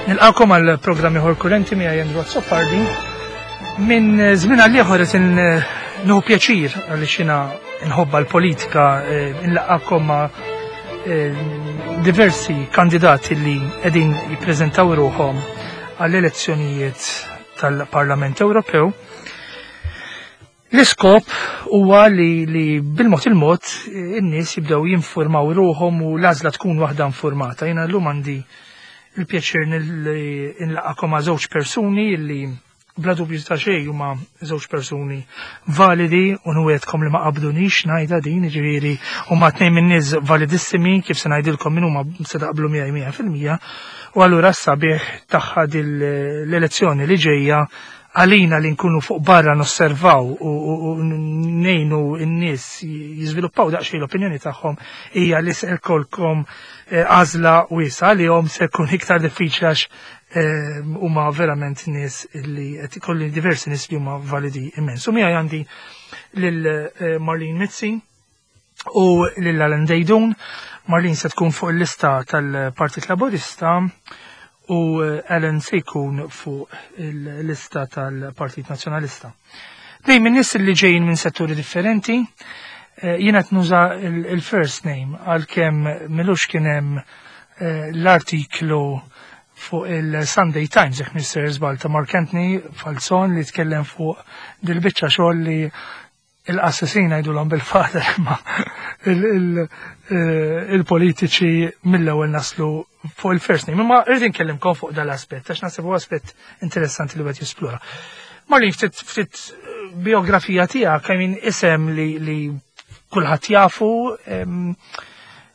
Nilqakom għal programm ieħor kurrenti miegħi Andrew Azzopardi. Minn żmien għal ieħor qed nieħu pjaċir għaliex jiena nħobba l-politika eh, nlaqakom ma' eh, diversi kandidati li qegħdin jippreżentaw ruħhom għall-elezzjonijiet tal-Parlament Ewropew. L-iskop huwa li, li bil-mod il-mod eh, in-nies jibdew jinformaw ruħhom u l-għażla tkun waħda informata. Jiena llum għandi il-pjaċir nlaqakom ma' żewġ persuni li bla dubju ta' xejn huma żewġ persuni validi u nwietkom li ma qabdunix ngħidha din, jiġifieri huma tnejn minn nies validissimi kif se ngħidilkom min huma se taqblu miegħi 100% u allura s-sabiħ tagħha l-elezzjoni li ġejja għalina li nkunu fuq barra nosservaw u nejnu n-nies jiżviluppaw daqsxejn l-opinjoni tagħhom hija li se jkollkom eh, għażla wiesa li hom se jkun iktar diffiċli għax eh, huma verament nies li qed ikolli diversi nies li huma validi immens. U miegħi għandi lil eh, Marlene Mizzi u lil Alan Dejdun. Marlene se tkun fuq il-lista tal-Partit Laburista u eh, Alan se jkun fuq il-lista tal-Partit Nazzjonalista. Dejjem minn nies li ġejjin minn setturi differenti, eh, jiena qed nuża il-first name għalkemm milux kien hemm eh, l-artiklu fuq il-Sunday Times, jekk Mr. Żball ta' Mark Anthony Falzon li tkellem fuq dil-biċċa xogħol li il-qassisin ngħidulhom bil-father imma eh, il-politiċi mill-ewwel naslu fuq il-first name. Imma irrid inkellimkom fuq dal-aspett għax naħseb huwa aspett interessanti li qed jisplora. Marlin ftit ftit eh, biografija tiegħek I mean isem li, li kulħadd jafu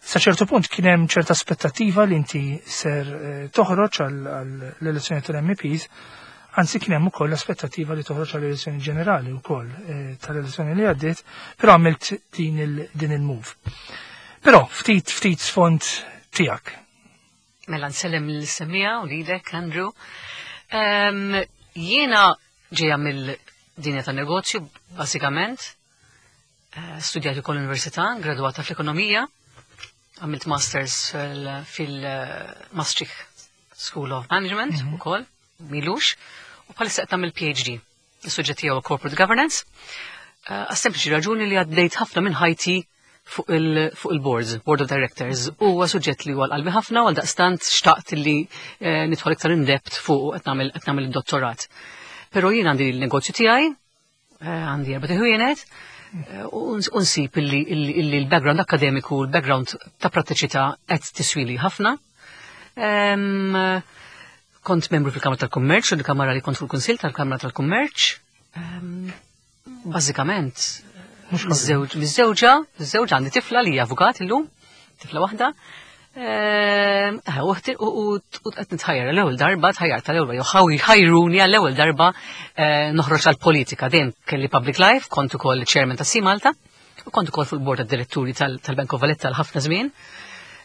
sa ċertu punt kien hemm ċerta aspettattiva li inti ser eh, toħroġ għall-elezzjoni tal-MEPs Anzi kien hemm ukoll l-aspettattiva li toħroġ għall-elezzjoni ġenerali wkoll eh, tal-elezzjoni li għaddiet, però għamilt din il-move. Però ftit ftit sfond tiegħek. Mela nsellem l-semija u lilek, Andrew. Ehm, jiena ġejja mill-dinja tan negozju, basikament. Eh, studjat ukoll l-università, gradwata fl-ekonomija, għamilt masters fil-Maastricht School of Management mm -hmm. ukoll, milux, u bħalissa qed nagħmel PhD. Is-suġġett tiegħu Corporate Governance. Eh, għas-sempliċi raġuni li għaddejt ħafna minn ħajti fuq il-boards, board of directors, u huwa suġġett li huwa qalbi ħafna għal daqstant xtaqt li eh, nidħol iktar in depth fuq qed nagħmel id-dottorat. Però jien għandi l-negozju tiegħi, eh, għandi erba' ħwienet, u nsib illi l-background akademiku, l-background ta' prattiċità qed tiswili ħafna. Kont membru fil-Kamra tal-Kummerċ, u l-Kamra li kont fil-Kunsil tal-Kamra tal-Kummerċ. Bażikament, miżżewġa, miżżewġa għandi tifla li hija avukat illum, tifla waħda. Ehm, eh, u qed nitħajjar l-ewwel darba, tħajjar tal-ewwel jew ħajruni għall-ewwel darba eh, noħroġ għall-politika. Dejjem kelli public life, kont ukoll chairman ta' Malta u kont ukoll fuq il-bord tad-diretturi tal-Bank of Valletta l ħafna żmien.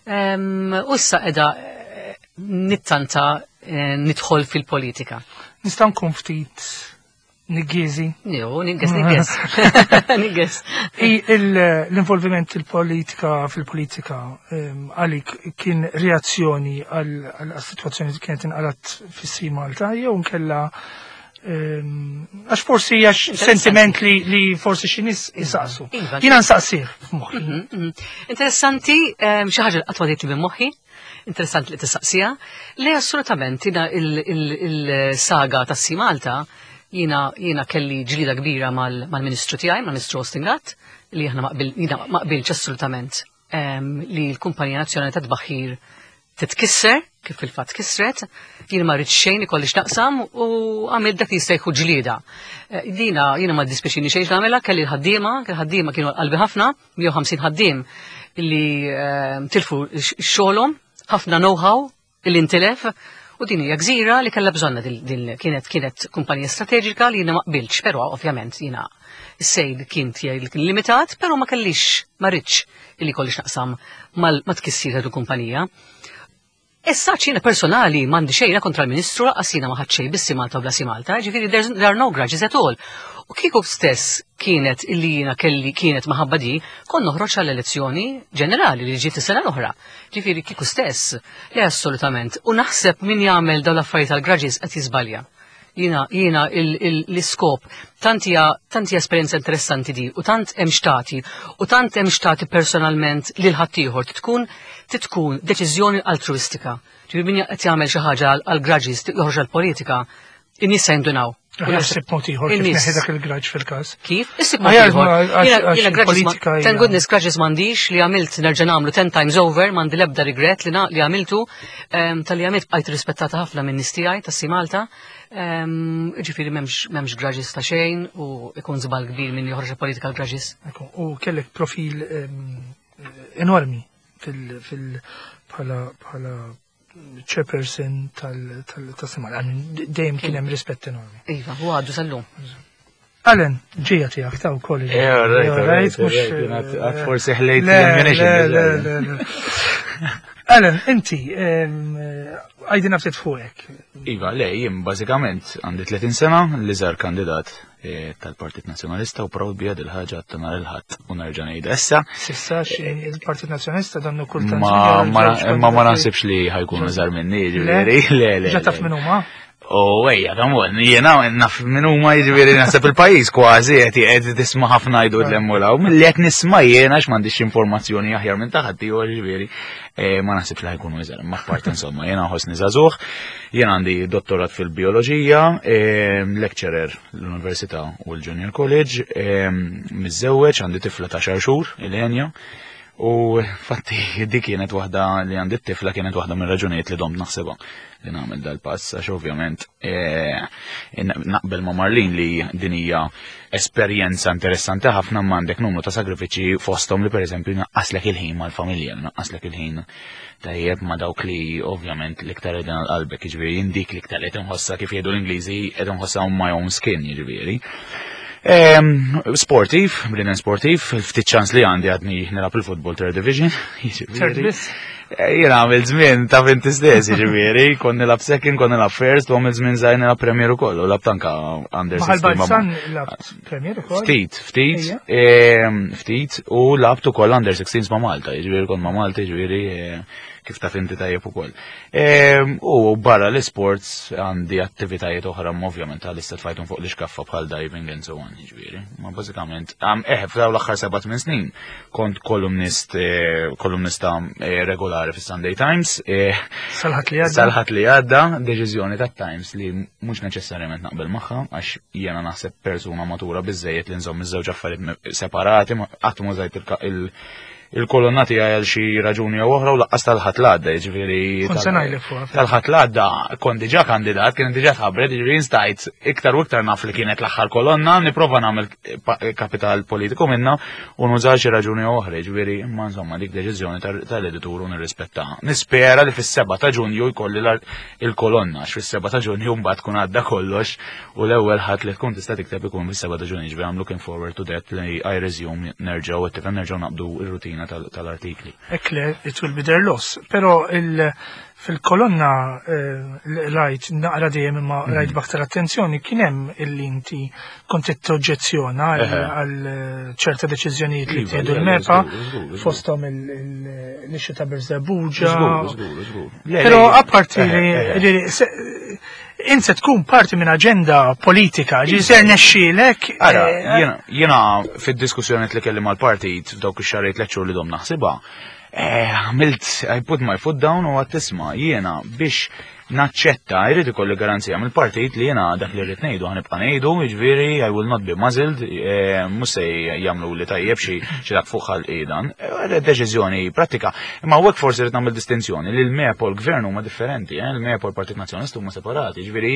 Ehm, u issa qiegħda eh, nittanta nidħol fil-politika. Nista' nkun ftit Niggizi. Jo, niggiz, niggiz. Niggiz. L-involviment il-politika fil-politika għalik kien reazzjoni għal-situazzjoni li kienet inqalat fis Malta jew nkella għax forsi għax sentiment li, li forsi xi nies isaqsu. Iva. Jiena nsaqsih f'moħħi. Mhm, mhm. Interessanti, xi ħaġa qatt ma minn moħħi Interessanti li tistaqsija. Le assolutament jina il-saga ta' Si Malta jina jina kelli ġlida kbira mal-ministru tiegħi, mal-Ministru Austin Gatt, li aħna ma qbilx assolutament ehm, li l-Kumpanija Nazzjonali ta' Tbaħħir titkisser, kif fil-fatt kisret, jien ma rridx xejn ikolli x'naqsam u għamil dak li jista' jkun ġlieda. Eh, dina jiena ma ddispjaċini xejn nagħmilha, kelli l-ħaddiema, kelli ħaddiema kienu qalbi ħafna, 150 ħaddiem li ehm, tilfu xogħolhom, ħafna know-how li ntilef, u din hija gżira li kellha bżonna din kienet kienet kumpanija strateġika li jiena ma qbiltx, però ovvjament jiena s-sejl kien tiegħi li kien limitat, però ma kellix ma ridx illi kolli x'naqsam ma tkissir ta' kumpanija. Issa ċina personali m'għandi xejn kontra l-Ministru lanqas jiena ma ħadd xejn bissi Malta u blasi Malta, ġifieri there are no grudges at all. U kieku stess kienet illi jiena kelli kienet maħabba di, kon noħroġ għall-elezzjoni ġenerali li ġiet is-sena l-oħra. Ġifieri kieku stess, le assolutament. U naħseb min jagħmel dawn l-affarijiet tal-grudges qed jiżbalja. Jiena jiena l-iskop tant hija tant hija esperjenza interessanti di u tant hemm xtati u tant hemm xtati personalment lil ħaddieħor tkun tkun deċiżjoni altruistika. Ġifieri min qed jagħmel xi ħaġa għal grudges joħroġ għall-politika, in-nies se jindunaw. Issib mod ieħor kif neħi dak il-graġ fil-każ. Kif? Issib mod ieħor. Jiena grudges thank goodness grudges m'għandix li għamilt nerġa' nagħmlu 10 times over, m'għandi l-ebda regret li li għamiltu tal-li għamilt bqajt rispettata ħafna minn nies tiegħi tas Malta. Ġifieri m'hemmx grudges ta' xejn u ikun żball kbir minn joħroġ politika grudges. U kellek profil enormi fil bħala bħala chairperson tal-simar, dejjem kien hemm rispett enormi. Iva, u għadu sal-lum. Alan, ġija tiegħek ta' wkoll. Eh, right, forsi ħlejt l-ammunition. Alan, inti, għajdina ftit fuqek. Iva, le, jien bażikament għandi 30 sena, l-iżgħar kandidat eh, tal-Partit Nazzjonalista u proud bija dil-ħaġa ta' nhar il-Ħadd u nerġa' ngħidha issa. Sissa il-Partit Nazzjonalista dannu kultant. Ma ma naħsibx li ħajkunu żar minni, ġifieri, le le. Ġa taf min huma? U ejja, come jiena naf min huma jiġifieri naħseb il-pajjiż kważi qed qed tisma' ħafna jgħidu l-emmulaw, milli qed nisma' jiena għax m'għandix informazzjoni aħjar minn ta' ħadd ieħor jiġifieri eh, ma naħsibx li ħajkunu iżgħar, ma part insomma, jiena nħossni żagħżugħ, jien għandi dottorat fil-bioloġija, eh, lecturer l-Università u l-Junior College, eh, miżżewweġ, għandi tifla ta' xar xhur, il-Enja, u fatti dik kienet waħda li għandi t-tifla kienet waħda mir raġunijiet li domt naħsebha li nagħmel dal-pass għax ovvjament naqbel ma' Marlin li din hija esperjenza interessanti ħafna ma għandek numru ta' sagrifiċi fosthom li pereżempju naqqaslek il-ħin mal-familja, naqqaslek il-ħin tajjeb ma' dawk li ovvjament l-iktar qegħdin għal qalbek, jiġifieri jien dik l-iktar qed inħossha kif jgħidu l-Ingliżi qed inħossha on my own skin, jiġifieri. Sportiv, bnedem sportiv, ftit ċans li għandi għadni nilgħab il-football third division. Third biss? Eh, jien għamil żmien ta' inti stess, jiġifieri, kon nilgħab second, kon nilgħab first, u għamil żmien żgħir nilgħab Premier ukoll, u lab tanka under 16. labt Premier ukoll. Ftit, ftit, ftit, u labt ukoll under 16 ma' Malta, jiġifieri kon ma' Malta, jiġifieri eh, kif taf inti tajjeb ukoll. U barra l-isports għandi attivitajiet oħra ovvjament għal istat fajtum fuq l-iskaffa bħal diving and so on, jiġifieri. Ma bażikament, eh, f'daw l-aħħar 7 snin kont kolumnist eh, kolumnista eh, regolari fis-Sunday Times. Eh, Salħat li għadda. Salħat li għadda, deċiżjoni tat Times li mhux neċessarjament naqbel magħha għax jiena naħseb persuna matura biżejjed li nżomm iż-żewġ affarijiet separati, qatt ma żajt il- il-kolonna tiegħi għal xi raġuni jew oħra u laqqas tal-ħadd l-għadda, jiġifieri. Kont se ngħidlek fuqha. Tal-ħadd l-għadda kont diġà kandidat, kien diġà tħabbret, jiġifieri stajt iktar u iktar naf li kienet l-aħħar kolonna, nipprova nagħmel kapital politiku minna u nuża xi raġuni jew oħra, jiġifieri imma insomma dik deċiżjoni tal-editur u nirrispettaha. Nispera li fis-7 ta' Ġunju jkolli il-kolonna, għax fis-7 ta' Ġunju mbagħad tkun għadda kollox u l-ewwel ħadd li tkun tista' tikteb ikun fis-7 ta' Ġunju, jiġifieri I'm looking forward to that li I resume nerġgħu qed nerġgħu naqbdu r-rutina tal-artikli. Hekk le, it will be their loss. Però il fil-kolonna eh, rajt naqra dejjem imma mhm. rajt b'aktar attenzjoni kien hemm illi inti kont qed toġġezzjona għal eh, ċerta deċiżjonijiet li iva, tieħdu l-MEPA fosthom l-ixxu ta' Birżebbuġa. Però apparti li int se tkun parti minn aġenda politika, ġi ser nexxielek. Ara, eh, jiena fid-diskussjoni li kelli mal-partit f'dawk ix-xahar tliet xhur li dom naħsibha, eh, għamilt I put my foot down u għad tisma' jiena biex naċċetta jrid ikolli garanzija mill-partit li jiena dak li rrid ngħidu ħanibqa' ngħidu, jiġifieri I will not be muzzled, eh, mhux se jagħmlu li tajjeb xi xi dak fuq ħalqi dan. Deċiżjoni pratika. Imma hawnhekk forsi rrid nagħmel distinzjoni li l-MEP u l-gvern huma differenti, eh, l-MEP u l-Partit Nazzjonalista huma separati, jiġifieri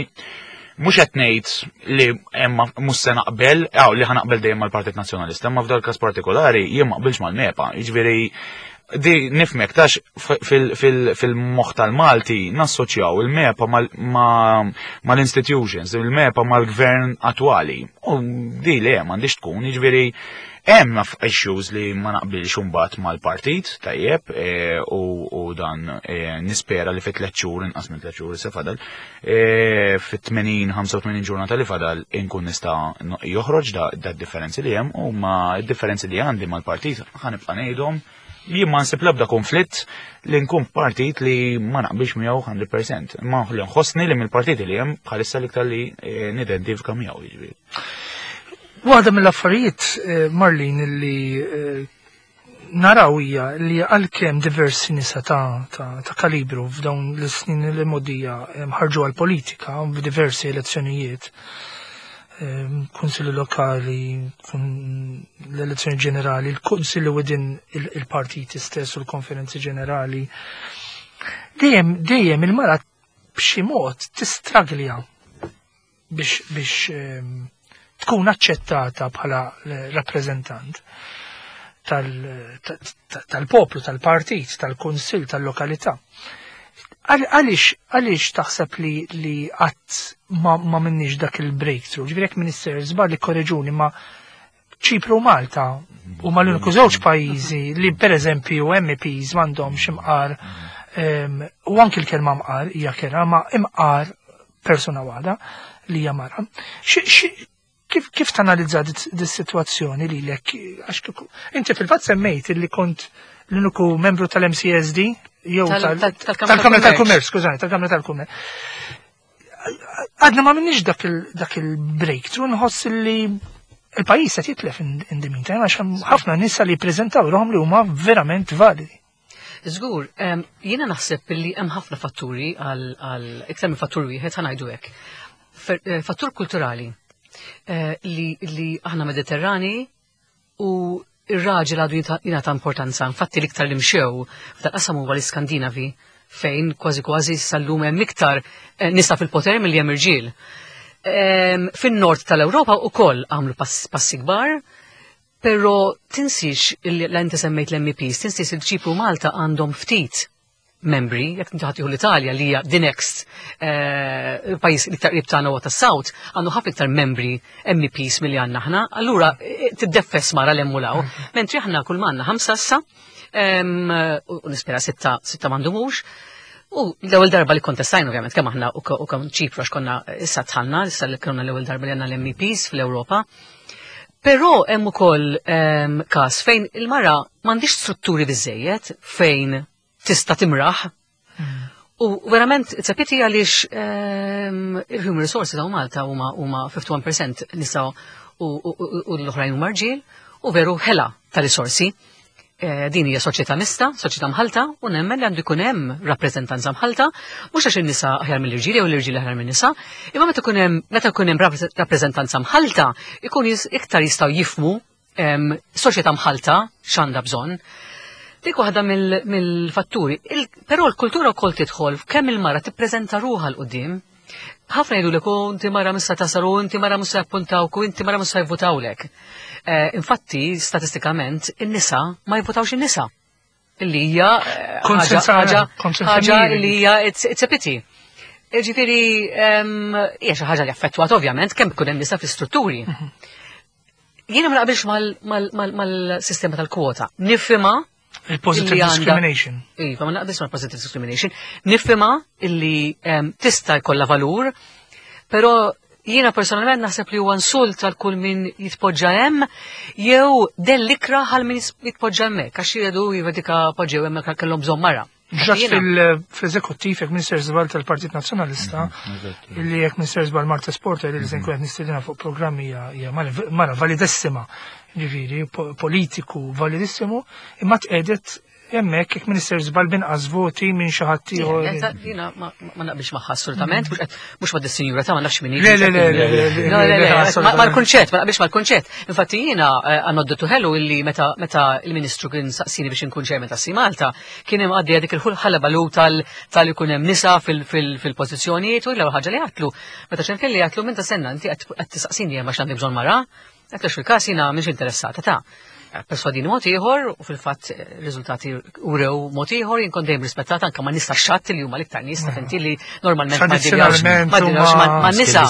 mhux qed ngħid li hemm mhux se naqbel, aw li ħanaqbel dejjem mal-Partit Nazzjonalista, imma f'dal każ partikolari jien ma qbilx mal-MEPA, jiġifieri Di nifmek, tax fil-moħ tal-Malti nassoċjaw il-MEPA mal-institutions, il-MEPA mal-gvern attwali. U di le, m'għandix tkun, jiġifieri hemm issues li ma naqbilx imbagħad mal-partit, tajjeb, u dan nispera li fi 3 xhur, inqas minn 3 xhur se fadal, fit-80, 85 ġurnata li fadal inkun nista' joħroġ da differenzi li hemm u ma differenzi li għandi mal-partit ħa nibqa' ngħidhom. Jien ma nsib l-ebda konflitt li nkun partit li ma naqbilx miegħu 100%. Ma li nħossni li mill-partiti li hemm bħalissa l-iktar li nidentifika miegħu jiġifieri. Waħda mill-affarijiet, Marlene, li naraw hija li għalkemm diversi nisa ta' kalibru f'dawn l-snin li modija ħarġu għal-politika f'diversi elezzjonijiet, kunsilli lokali, l-elezzjoni ġenerali, il-kunsilli within il-partiti stess u l-konferenzi ġenerali. Dejjem il-mara b'xi mod tistraglja biex tkun aċċettata bħala rappreżentant tal-poplu, tal-partit, tal-kunsill, tal-lokalità. Għaliex taħseb li qatt ma minnix dak il-breakthrough? Ġifieri jekk Minister żball li korreġuni, ma Ċipru u Malta u ma l-uniku żewġ pajjiżi li pereżempju MEPs m'għandhomx imqar, u anki l-kelma mqar hija kera, ma imqar persuna waħda li hija mara. Kif tanalizza dis-sitwazzjoni li lek? Għax kieku inti fil-fatt semmejt li kont l-uniku membru tal-MCSD, jew Tal-Kamra tal-Kamra tal-Kummerċ, skużani, tal-Kamra tal-Kummerċ. Għadna ma minnix dak il-breakthrough, nħoss li il-pajjiż qed jitlef in the meantime, għax hemm ħafna nisa li jippreżentaw ruħhom li huma verament validi. Żgur, jiena naħseb li hemm ħafna fatturi għal iktar minn fattur wieħed, ħa ngħidu hekk. Fattur kulturali li aħna Mediterrani u ir-raġel għadu jingħata importanza. Infatti l-iktar li mxew f'dal-qasam huwa l-Iskandinavi, fejn kważi kważi sal-lum hemm iktar nisa fil-poter milli hemm irġiel. Fin-nord tal-Ewropa wkoll għamlu passi kbar, però tinsiex li inti semmejt l-M E Ps, tinsiex li Ċipru Malta għandhom ftit membri, jekk inti ħadd l-Italja li hija the next pajjiż li iktar qrib tagħna huwa tas-South, għandu ħafna iktar membri M E Ps milli għandna aħna, allura tiddeffes mara l-hemm u law. Mentri aħna kull ma għandna 5 issa, u nispera 6 m'għandhomux. U l-ewwel darba li kontestajna ovvjament kemm aħna u kemm Ċipru għax konna issa tħallna, issa li konna l-ewwel darba li għandna l-M E Ps fl-Ewropa. Però hemm ukoll każ fejn il-mara m'għandix strutturi biżejjed fejn tista' timraħ. U verament, it's a pity għaliex il-human resources hawn Malta huma 51% nisa u l-oħrajn huma rġiel, u veru ħela ta' risorsi. Din hija soċjetà mista, soċjetà mħalta, u nemmen li għandu jkun hemm rappreżentanza mħalta, mhux għax in-nisa aħjar mill-irġiel jew l-irġiel aħjar min-nisa, imma meta jkun hemm rappreżentanza mħalta, ikun iktar jistgħu jifhmu soċjetà mħalta x'għandha bżonn. Dik waħda mill-fatturi. Però l-kultura wkoll tidħol f'kemm il-mara tippreżenta ruħha 'l quddiem. Ħafna jgħidu lek, oh, inti mara mhux se tasal, u inti mara mhux se jappuntawk, u inti mara mhux se jivvutawlek. Infatti, statistikament, in-nisa ma jivvutawx in-nisa. Illi hija Konsens ħaġa għamil. li hija it's a pity. Ġifieri, hija xi ħaġa li affettwat ovvjament kemm ikun hemm nisa fl-istrutturi. Jiena ma naqbilx mal-sistema tal-kwota. Nifhimha Il-positive illi għandha discrimination. Iva, ma naqbilx mal-positive discrimination. Nifhimha illi tista' jkollha valur, però jiena personalment naħseb li huwa insult għal kull min jitpoġġa hemm jew dellikra għal min jitpoġġa hemmhekk għax jgħidu iva dika poġġew hemmhekk kellhom bżonn mara. Ġat Jiena fil-eżekuttiv jekk Minister Żball tal-Partit Nazzjonalista, illi jekk Minister Żball Marta Sporter li se nkun qed nistedina fuq programmi hija mara validissima, ġifieri politiku validissimu, imma tqedet hemmhekk jekk Minister Żball binqas voti minn xi ħadd ieħor. Le, jiena ma naqbilx magħha assolutament, mhux ma' dis-sinjura ta' ma nafx min hi. Le, le, le, le, le, le, Le, le, le, le, assolutament. mal-kunċett, ma naqbilx mal-kunċett. Infatti jiena għanoddu tuħelu illi meta il-Ministru kien saqsini biex inkun chairman ta' Sea Malta, kien hemm għaddejja dik il-ħalba balu tal ikun hemm nisa fil-pożizzjonijiet u l-ewwel ħaġa li għatlu. Meta ċempilli għatlu minn ta' senna inti qed tisaqsini hemm għax għandi bżonn mara, għatlu fil-każ jiena mhix interessata ta'. Perswadini mod ieħor u fil-fatt riżultati urew mod ieħor jien kont dejjem rispettata anke ma' nies tax-xatt li huma l-iktar nies ta' inti li normalment ma ddiljax ma' nisa.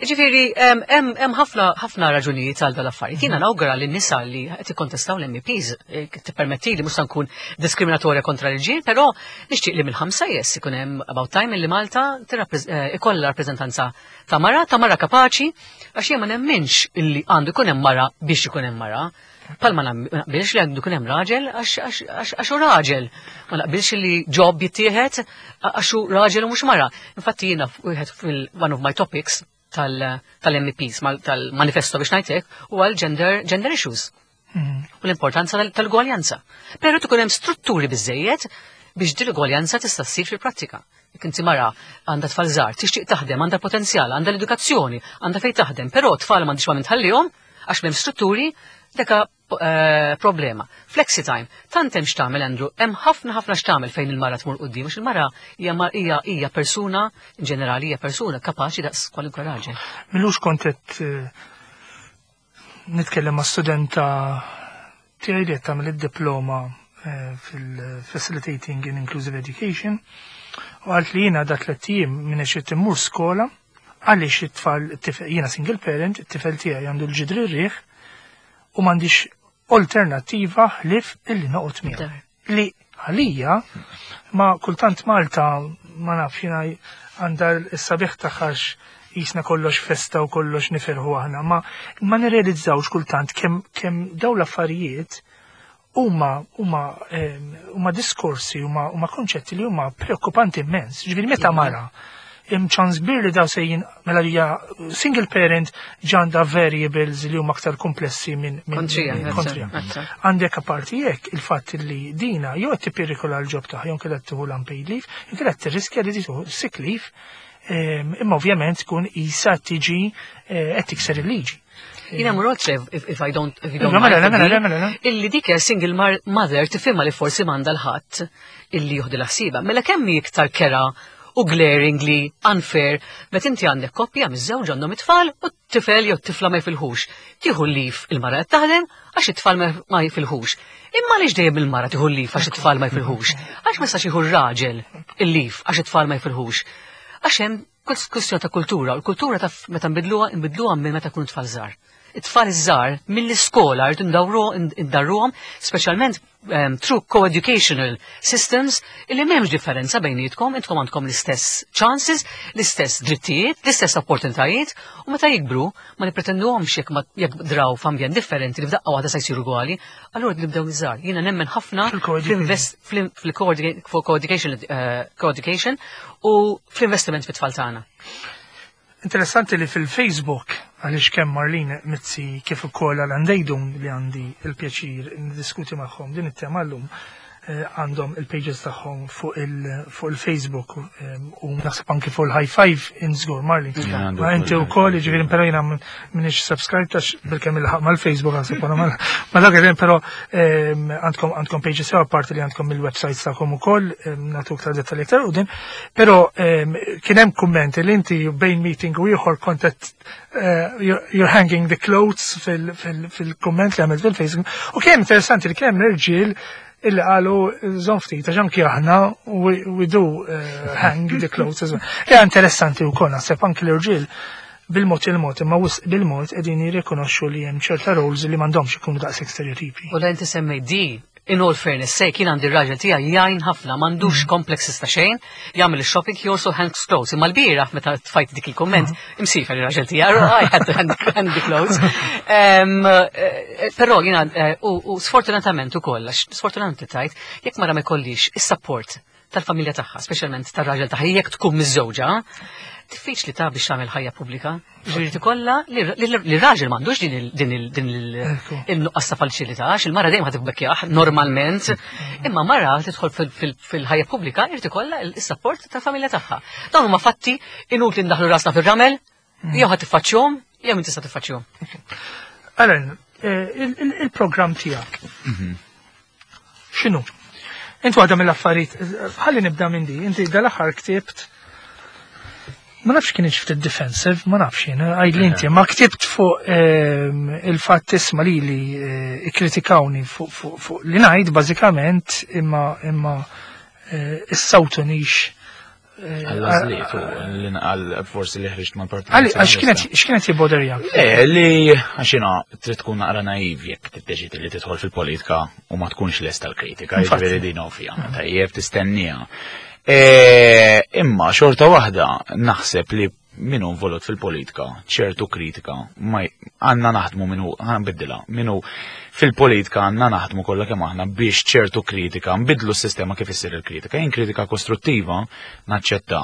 Ġifieri hemm ħafna ħafna raġunijiet għal dal-affarijiet. Jiena nawgura lin nisa li qed ikkontestaw l-MEPs eh, tippermetti li mhux se nkun diskriminatorja kontra l-ġiel, però nixtieq li mill-ħamsa yes ikun hemm about time li Malta eh, ikollha rappreżentanza ta' mara, ta' mara kapaċi, għax jien ma nemminx illi għandu jkun hemm mara biex ikun hemm mara. Pal ma naqbilx li għandu jkun hemm raġel għax hu raġel. Ma naqbilx li job jittieħed għax hu raġel u mhux mara. Infatti jiena wieħed fil-one of my topics tal-MEPs, tal-manifesto biex ngħidlek, huwa l-gender gender issues. U l-importanza tal-gwaljanza. Però tkun hemm strutturi biżejjed biex din l-gwaljanza tista' ssir fil-prattika. Jekk inti mara għandha tfal żgħar, tixtieq taħdem, għandha potenzjal, għandha l-edukazzjoni, għandha fejn taħdem, però tfal m'għandix ma minn tħallihom għax m'hemm strutturi, deka eh, problema. Flexi time, tant hemm x'tagħmel Andrew, hemm ħafna ħafna x'tagħmel fejn il-mara tmur quddiem, għax il-mara hija hija persuna in ġenerali hija persuna kapaċi daqs kwalunkwe raġel. Milux kont qed eh, nitkellem ma' studenta tiegħi li qed tagħmel id-diploma eh, fil-Facilitating in Inclusive Education u għalt li jiena da tlett ijiem minn qed immur skola għaliex it-tfal jiena single parent, it-tifel tiegħi għandu l-ġidri r-riħ u m'għandix alternattiva ħlief illi noqgħod miegħu. Li għalija ma kultant Malta ma nafx jiena għandha s-sabiħ tagħha jisna kollox festa u kollox nifirħu aħna, ma, ma nirrealizzawx kultant kemm kem daw l-affarijiet huma huma huma diskorsi huma huma konċetti li huma preokkupanti immens. Ġifieri meta mara hemm ċans kbir li daw sejjin mela hija single parent ġanda variables li huma aktar komplessi minn kontrija. Għandek apparti jekk il-fatt li dina jew qed tippirikola l-ġob tagħha jew kellha tieħu l-unpaid leave, jew kellha tirriskja li tieħu sick leave, imma ovvjament tkun isa tiġi eh, qed tikser il-liġi. Jina mur oltre if I don't if you don't mela, mela, mela, mela, Illi dik single mother tifhimha li forsi m'għandha l-ħadd illi juħdi l-ħsiba. Mela kemm hi iktar kera u glaringly unfair meta inti għandek koppja miż-żewġ għandhom it-tfal u t-tifel jew t-tifla ma jfilħux. Tieħu l-lif il-mara qed taħdem għax it-tfal ma jfilħux. Imma għaliex dejjem il-mara tieħu l-lif għax it-tfal ma jfilħux? Għax ma jistax jieħu r-raġel il-lif għax it-tfal ma jfilħux? Għax hemm kwestjoni ta' kultura, u l-kultura ta' meta nbidluha, nbidluha minn meta kunu tfal żgħar. It-tfal iż-żgħar mill-iskola rridu ndarruhom, speċjalment through co-educational systems illi m'hemmx differenza bejnietkom, intkom għandkom l-istess chances, l-istess drittijiet, l-istess opportunitajiet, u meta jikbru ma nippretenduhomx jekk jekk draw f'ambjent differenti li f'daqqa waħda se jsiru ugwali, allura nibdew iż-żgħar. Jiena nemmen ħafna fil-co-education eh, u fl-investiment fit-tfal tagħna. Interessanti li fil-Facebook, għaliex kemm Marlene Mizzi kif ukoll Alan Dejdun li għandi il-pjaċir niddiskuti magħhom din it-tema llum, eh, għandhom il-pages tagħhom fuq il-Facebook eh, u naħseb anki fuq il-High Five in żgur Marlene. Ma inti wkoll jiġifieri però jiena m'iniex subscribe tax bilkemm il-ħaq mal-Facebook naħseb ma dak il però ehm, għandkom għandkom pages sew apparti li għandkom il-websites tagħkom ukoll ehm, nagħtu iktar dettalji iktar u din. Però ehm, kien hemm kummenti li inti bejn meeting u ieħor kont qed eh, you're hanging the clothes fil-kumment li għamilt fil-Facebook u kien interessanti li kien hemm irġiel illi qalu żomm ftit għax anki aħna we do eh, hang the clothes as well. Ja interessanti wkoll naħseb anki l-irġiel bil-mod il-mod imma wisq bil-mod qegħdin jirrikonoxxu li hemm ċerta roles li m'għandhomx ikunu daqshekk stereotipi. U la inti semmejt di, in all fairness sake, jien għandi r-raġel tiegħi jgħin ħafna, m'għandux mm. complexes ta' xejn, jagħmel ix-shopping, he also hangs clothes. Imma l-bieraħ meta tfajt dik il-komment, mm. imsifer ir-raġel tiegħi, I had to hang, hang the clothes. Eh, però jiena eh, u sfortunatament ukoll, għax sfortunatament tajt, jekk mara ma jkollix is-support tal-familja tagħha, speċjalment tar-raġel tagħha, jekk tkun miżżewġa, diffiċli ta' biex tagħmel ħajja pubblika. Ġifieri tikollha li raġel m'għandux din il-nuqqas ta' faċilità, għax il-mara dejjem ħad tibbekkjaħ normalment, imma mara tidħol fil-ħajja pubblika irid ikollha s-sapport tal-familja tagħha. Dawn huma fatti inutli ndaħlu rasna fir-ramel, jew ħad tiffaċċjhom, jew inti tista' tiffaċċjhom. Alan, eh, il-programm tiegħek. Mhm. X'inhu? Int waħda mill-affarijiet, ħalli nibda minn di, inti dal-aħħar ktibt Ma nafx kien ftit defensive, ma nafx jien, għajd li inti, ma ktibt fuq il-fatt isma' li li ikkritikawni fuq li ngħid bażikament imma imma issawtunix. Għall-għażliet u l-inqal forsi li ħriġt mal-partit. Għalli, għax x'kienet jibboderjak? Le, li għax jiena trid tkun naqra naiv jekk tiddeċidi li tidħol fil-politika u ma tkunx lest tal-kritika, jiġifieri din ovvja, tajjeb tistenniha. Imma xorta waħda naħseb li min hu involut fil-politika, ċertu kritika, ma għandna naħdmu minnu, ħanbiddilha, minnu fil-politika għandna naħdmu kollha kemm aħna biex ċertu kritika, nbidlu s-sistema kif issir il-kritika. Jien kritika kostruttiva naċċetta,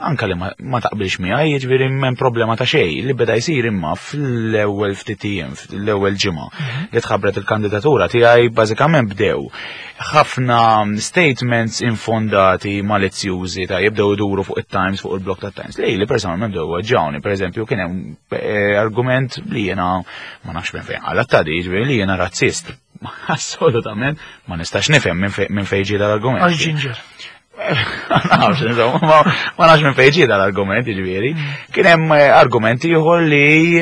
anka li ma taqbilx miegħi, jiġifieri m'hemm problema ta' xejn li beda jsir imma fl-ewwel ftit ijiem, fl-ewwel ġimgħa li tħabbret il-kandidatura tiegħi bażikament bdew ħafna statements infondati, malizzjużi ta' jibdew iduru fuq it-Times, fuq il-blog ta' Times. Li li personalment bdew weġġawni, per eżempju, kien hemm argument li jiena ma nafx minn fejn għala ta' di, jiġifieri li jiena razzist. Assolutament ma nistax nifhem minn fejn ġie dal-argument. Għax ġinġer. Ma nafx, insomma, ma nafx minn fejn ġie dal-argument, jiġifieri. Kien hemm argument ieħor li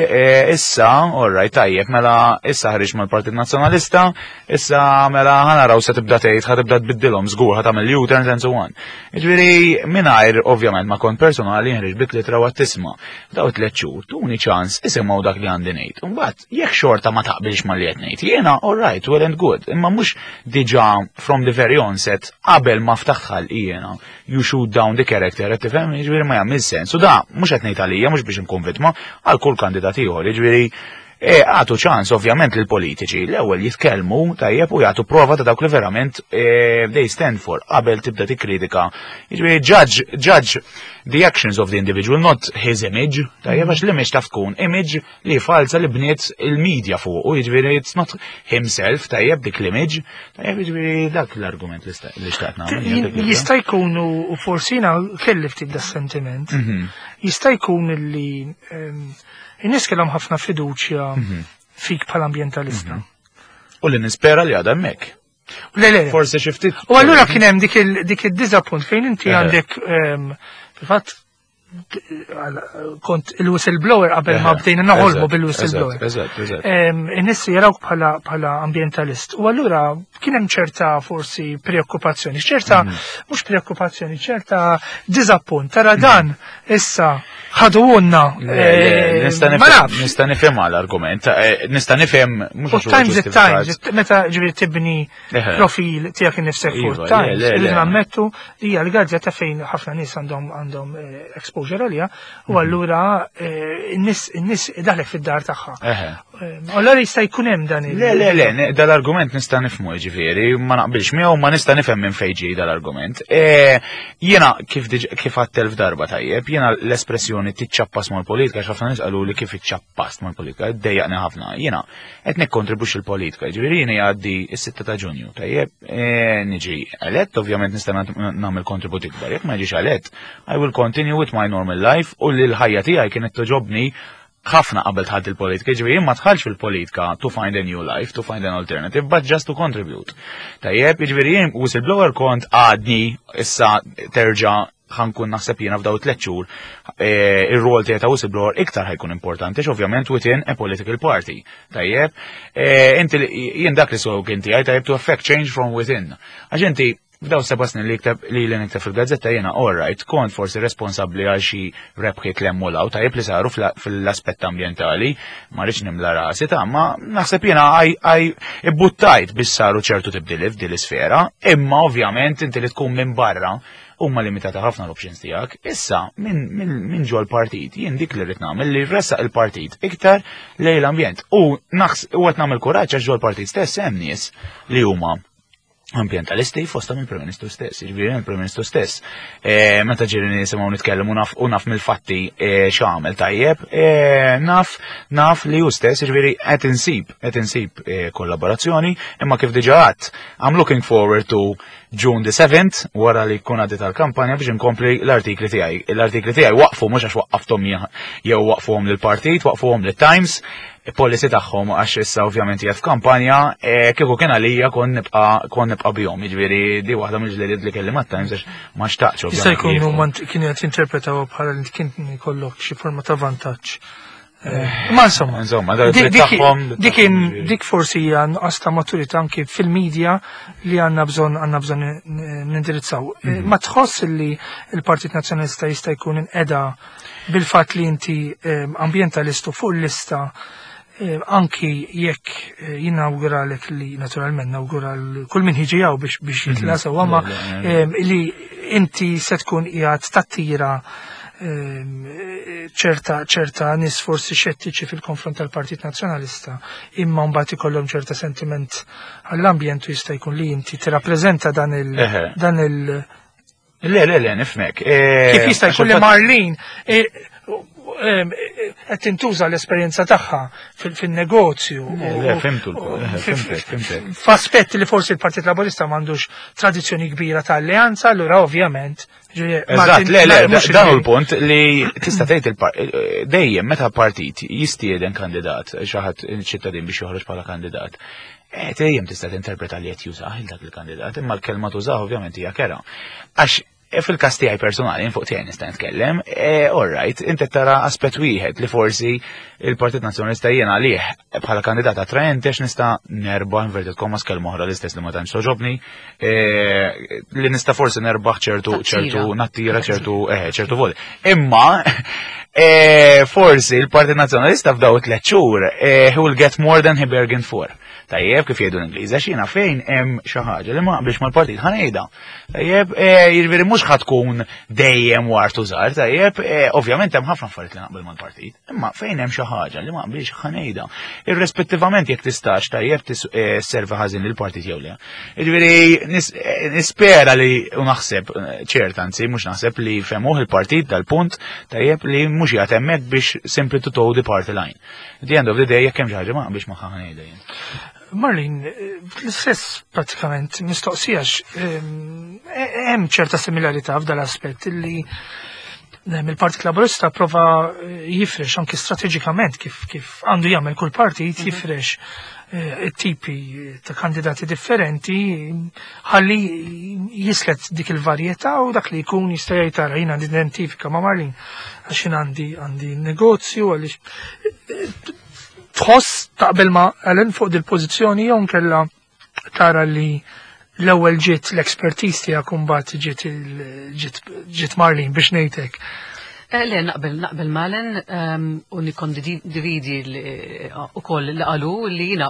issa, all right, tajjeb, mela issa ħriġ mal-Partit Nazzjonalista, issa mela ħa naraw se tibda tgħid, ħa tibda tbiddilhom żgur, ħa tagħmel U-turns and so on. Jiġifieri mingħajr ovvjament ma kont personali nħriġ bit litra u tisma'. Daw 3 xhur tuni ċans isimgħu dak li għandi ngħid. Imbagħad jekk xorta ma taqbilx ma li qed ngħid, jiena all right, well and good, imma mhux diġà from the very onset qabel ma ftaħt ħalqi jiena, you shoot down the character, qed tifhem, jiġifieri ma jagħmel sens. U da mhux qed ngħid għalija, mhux biex inkun vittma, għal kull kandidat ieħor, jiġifieri għatu ċans ovvjament lil politiċi l-ewwel jitkellmu tajjeb u jagħtu prova ta' dawk li verament they stand for qabel tibda tikkritika. Jiġifieri judge the actions of the individual, not his image, tajjeb għax l-image taf tkun image li falsa li bniet il-media fuq, u jiġifieri it's not himself, tajjeb dik l-image, tajjeb jiġifieri dak l-argument li xtaqt nagħmel, jien dik l-idea. Jista' jkun u forsi jiena kelli ftit da sentiment, jista' jkun li in-nies kellhom ħafna fiduċja fik bħala ambjentalista. U li nispera li għadha hemmhekk. Le, le, le. Forsi xi ftit. U allura kien hemm dik id-diżappunt fejn inti għandek fil-fatt kont il-whistleblower qabel ma bdejna naħolmu bil-whistleblower. In-nies jarawk bħala ambjentalist. U allura kien hemm ċerta forsi preokkupazzjoni, ċerta mhux preokkupazzjoni, ċerta diżappunt. Tara dan issa ħaduhulna, Le, le, ma nafx. nista' nifhem l-argument, nista' nifhem mhux U għax huwa Times it ġustifikat. Times, meta ġifieri tibni profil tiegħek innifsek fuq Iva, le, Times, le, irridu le. nammettu li hija l-gazzetta fejn ħafna nies għandhom exposure għaliha, u allura n-nies daħlek fid-dar tagħha. Allura jista' jkun hemm dan il- Le, le, le, dal-argument nista' nifhmu, ġifieri, ma naqbilx miegħu, ma nista' nifhem minn fejn ġej dal-argument. Jiena kif għedt elf darba tajjeb, jiena l-espressjoni tiċċappas mal-politika, għax ħafna nies qalu li kif iċċappast mal-politika, ddejjaqni ħafna. Jiena qed nikkontribwixxi l-politika, ġifieri jiena jgħaddi s-6 ta' Ġunju, tajjeb, niġi elett, ovvjament nista' nagħmel kontribut ikbar. Jekk ma jiġix elett, I will continue with my normal life u li l-ħajja tiegħi kienet toġobni ħafna qabel dħalt il-politika, ġifieri jien ma dħalx fil-politika to find a new life, to find an alternative, but just to contribute. Tajjeb, ġifieri jien whistleblower kont għadni issa terġa' ħankun naħseb jiena f'daw 3 xhur ir-rol tiegħi ta' whistleblower iktar ħajkun importanti, ovvjament within a political party. Tajjeb, inti jien dak li slogan tiegħi tajjeb to affect change from within. Għax inti f'daw 7 snin li kteb li li nikteb fil-gazzetta jiena all right, kont forsi responsabbli għal xi rebħiet l hemm u law, tajjeb li saru fil-aspett ambjentali, ma rridx nimla rasi ta' ma naħseb jiena għaj ibbuttajt biex saru ċertu tibdili f'din l-isfera, imma ovvjament inti li tkun minn barra huma limitata ħafna l-options tiegħek. Issa minn ġol partit jien dik li rrid nagħmel li ressaq il-partit iktar lejn l-ambjent. U qed nagħmel kuraġġ għax ġol partit stess hemm nies li huma ambientalisti fosta mill-Prim Ministru stess, jiġifieri mill-Prim Ministru stess. Meta ġieli nisimgħu nitkellmu u naf mill-fatti x'għamel tajjeb, naf li hu stess, jiġifieri qed insib kollaborazzjoni, imma kif diġà għedt, I'm looking forward to June the 7th, wara li jkun għaddiet tal-kampanja biex inkompli l-artikli tiegħi. L-artikli tiegħi waqfu mhux għax waqqafthom jew waqfuhom lill-partit, waqfuhom lit-Times. policy tagħhom għax issa ovvjament hija f'kampanja, kieku kien għalija kon nibqa' bihom, jiġifieri di waħda mill-ġliediet li kelli mat-Times għax ma xtaqtx Jista' ovvjament. jkun li huma kienu qed jinterpretaw bħala li kien ikollok xi forma ta' vantaġġ. Ma insomma. Insomma, dak id-dritt tagħhom, Dik dik forsi hija nuqqas ta' maturità anki fil-medja li għandna bżonn nindirizzaw. Ma tħoss li l-Partit Nazzjonalista jista' jkun inqeda bil-fatt li inti ambjentalistu fuq il-lista, anki jekk jinawguralek li naturalment nawgura kull min ħiġi hawn biex jitla' sewwa, ma li inti se tkun qiegħed tattira ċerta nies forsi xettiċi fil-konfront tal-Partit Nazzjonalista, imma mbagħad ikollhom ċerta sentiment għall-ambjent u jista' jkun li inti tirrappreżenta dan il- dan il- Le, le, le, nifmek. Kif jista' Għax jkun li il-fatt Marlene qed tintuża l-esperjenza tagħha fin-negozju Le, le, fimtu l-punt, fimtek, fimtek. F'aspetti li forsi l-Partit Laburista m'għandux tradizzjoni kbira ta' alleanza, allura ovvjament, ġifieri, Eżatt, Martin, le, le, mhux dan hu il- l-punt li tista' tgħid dejjem meta partit jistieden kandidat, xi ħadd ċittadin biex joħroġ bħala kandidat. Dejjem tista' tinterpreta li qed jużah il dak il-kandidat, imma l-kelma tużah ovvjament hija kera. Għax fil-każ tiegħi personali, fuq tiegħi nista' nitkellem, all right, inti tara aspett wieħed li forsi il-Partit Nazzjonalista jiena għalih bħala kandidat attraenti għax nista' nerbaħ inverted commas kelma oħra l-istess li ma tantx toġobni, li nista' forsi nerbaħ ċertu nattira ċertu voti. Imma forsi il-Partit Nazzjonalista f'daw it-tliet xhur he will get more than he bargained for. Tajjeb, kif jgħidu l-Ingliż, għax jiena fejn hemm xi ħaġa li ma naqbilx mal-partit ħa ngħidha. Tajjeb, jiġifieri mhux ħa tkun dejjem war tużar, tajjeb, ovvjament hemm ħafna affarijiet li naqbel mal-partit, imma fejn hemm xi ħaġa li ma naqbilx ħa ngħidha. Irrispettivament jekk tistax tajjeb servi ħażin lill-partit jew le. Jiġifieri nispera li u naħseb, ċert anzi mhux naħseb li femuh il-partit dal-punt tajjeb li mhux qiegħed hemmhekk biex simply to toe the party line. At the end of the day, jekk hemm xi ħaġa ma naqbilx magħha ħa ngħidha jien. Marlene, l-istess pratikament mistoqsijax, hemm ċerta similarità f'dal aspett li il-Partit Laburista prova jifrex anki strateġikament kif għandu jagħmel kull partit, jifrex it-tipi ta' kandidati differenti ħalli jislet dik il-varjetà u dak li jkun jista' jgħid tara jiena nidentifika ma' Marlene għax jien għandi negozju għaliex tħoss taqbel ma' Alan fuq dil-pożizzjoni jew nkella tara li l-ewwel ġiet l-expertise tiegħek u mbagħad ġiet Marlene biex ngħidlek. Le, naqbel Malen, u nikkondividi ukoll li qalu li jiena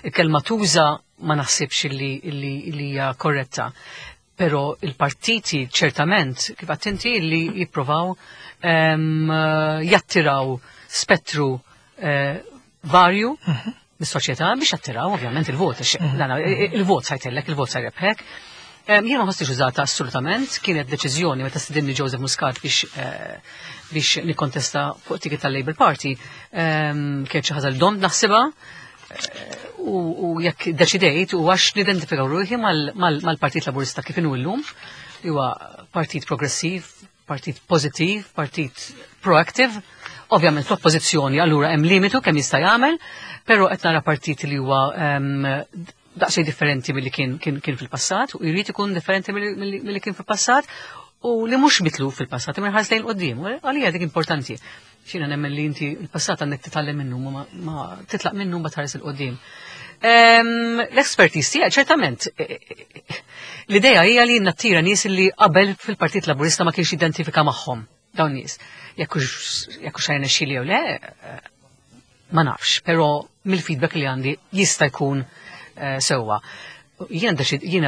il-kelma tuża ma naħsibx li hija korretta. Però il-partiti ċertament, kif attenti, li jippruvaw jattiraw spettru varju mis-soċjetà biex jattiraw ovvjament il-vot, għax dana, il-vot sajtellek, il-vot sajrebħek. Jien ma ħossix użata assolutament, kienet deċiżjoni meta stidinni Joseph Muscat biex nikkontesta fuq ticket tal-Labour Party, kienet xi ħaġa li domt naħsibha, u jekk deċidejt u għax nidentifikaw ruħi mal-Partit Laburista kif inhu llum, li huwa partit progressiv, partit pożittiv, partit proactive. Ovvjament fl-oppożizzjoni allura hemm limitu kemm jista' jagħmel, però qed nara partit li huwa daqsxejn differenti milli kien fil-passat u jrid ikun differenti milli kien fil-passat u li mhux mitlu fil-passat imma jħares lejn quddiem. U għalija dik importanti. Xina nemmen li inti il-passat għandek titgħallem minnu, ma titlaq minnu ma tħares 'il quddiem. L-expertise tiegħek ċertament, l-idea hija li nattira nies li qabel fil-Partit Laburista ma kienx identifika magħhom dawn nies. Jekk hux xejn xili jew le, ma nafx, però mill-feedback li għandi jista' jkun sewwa. Jiena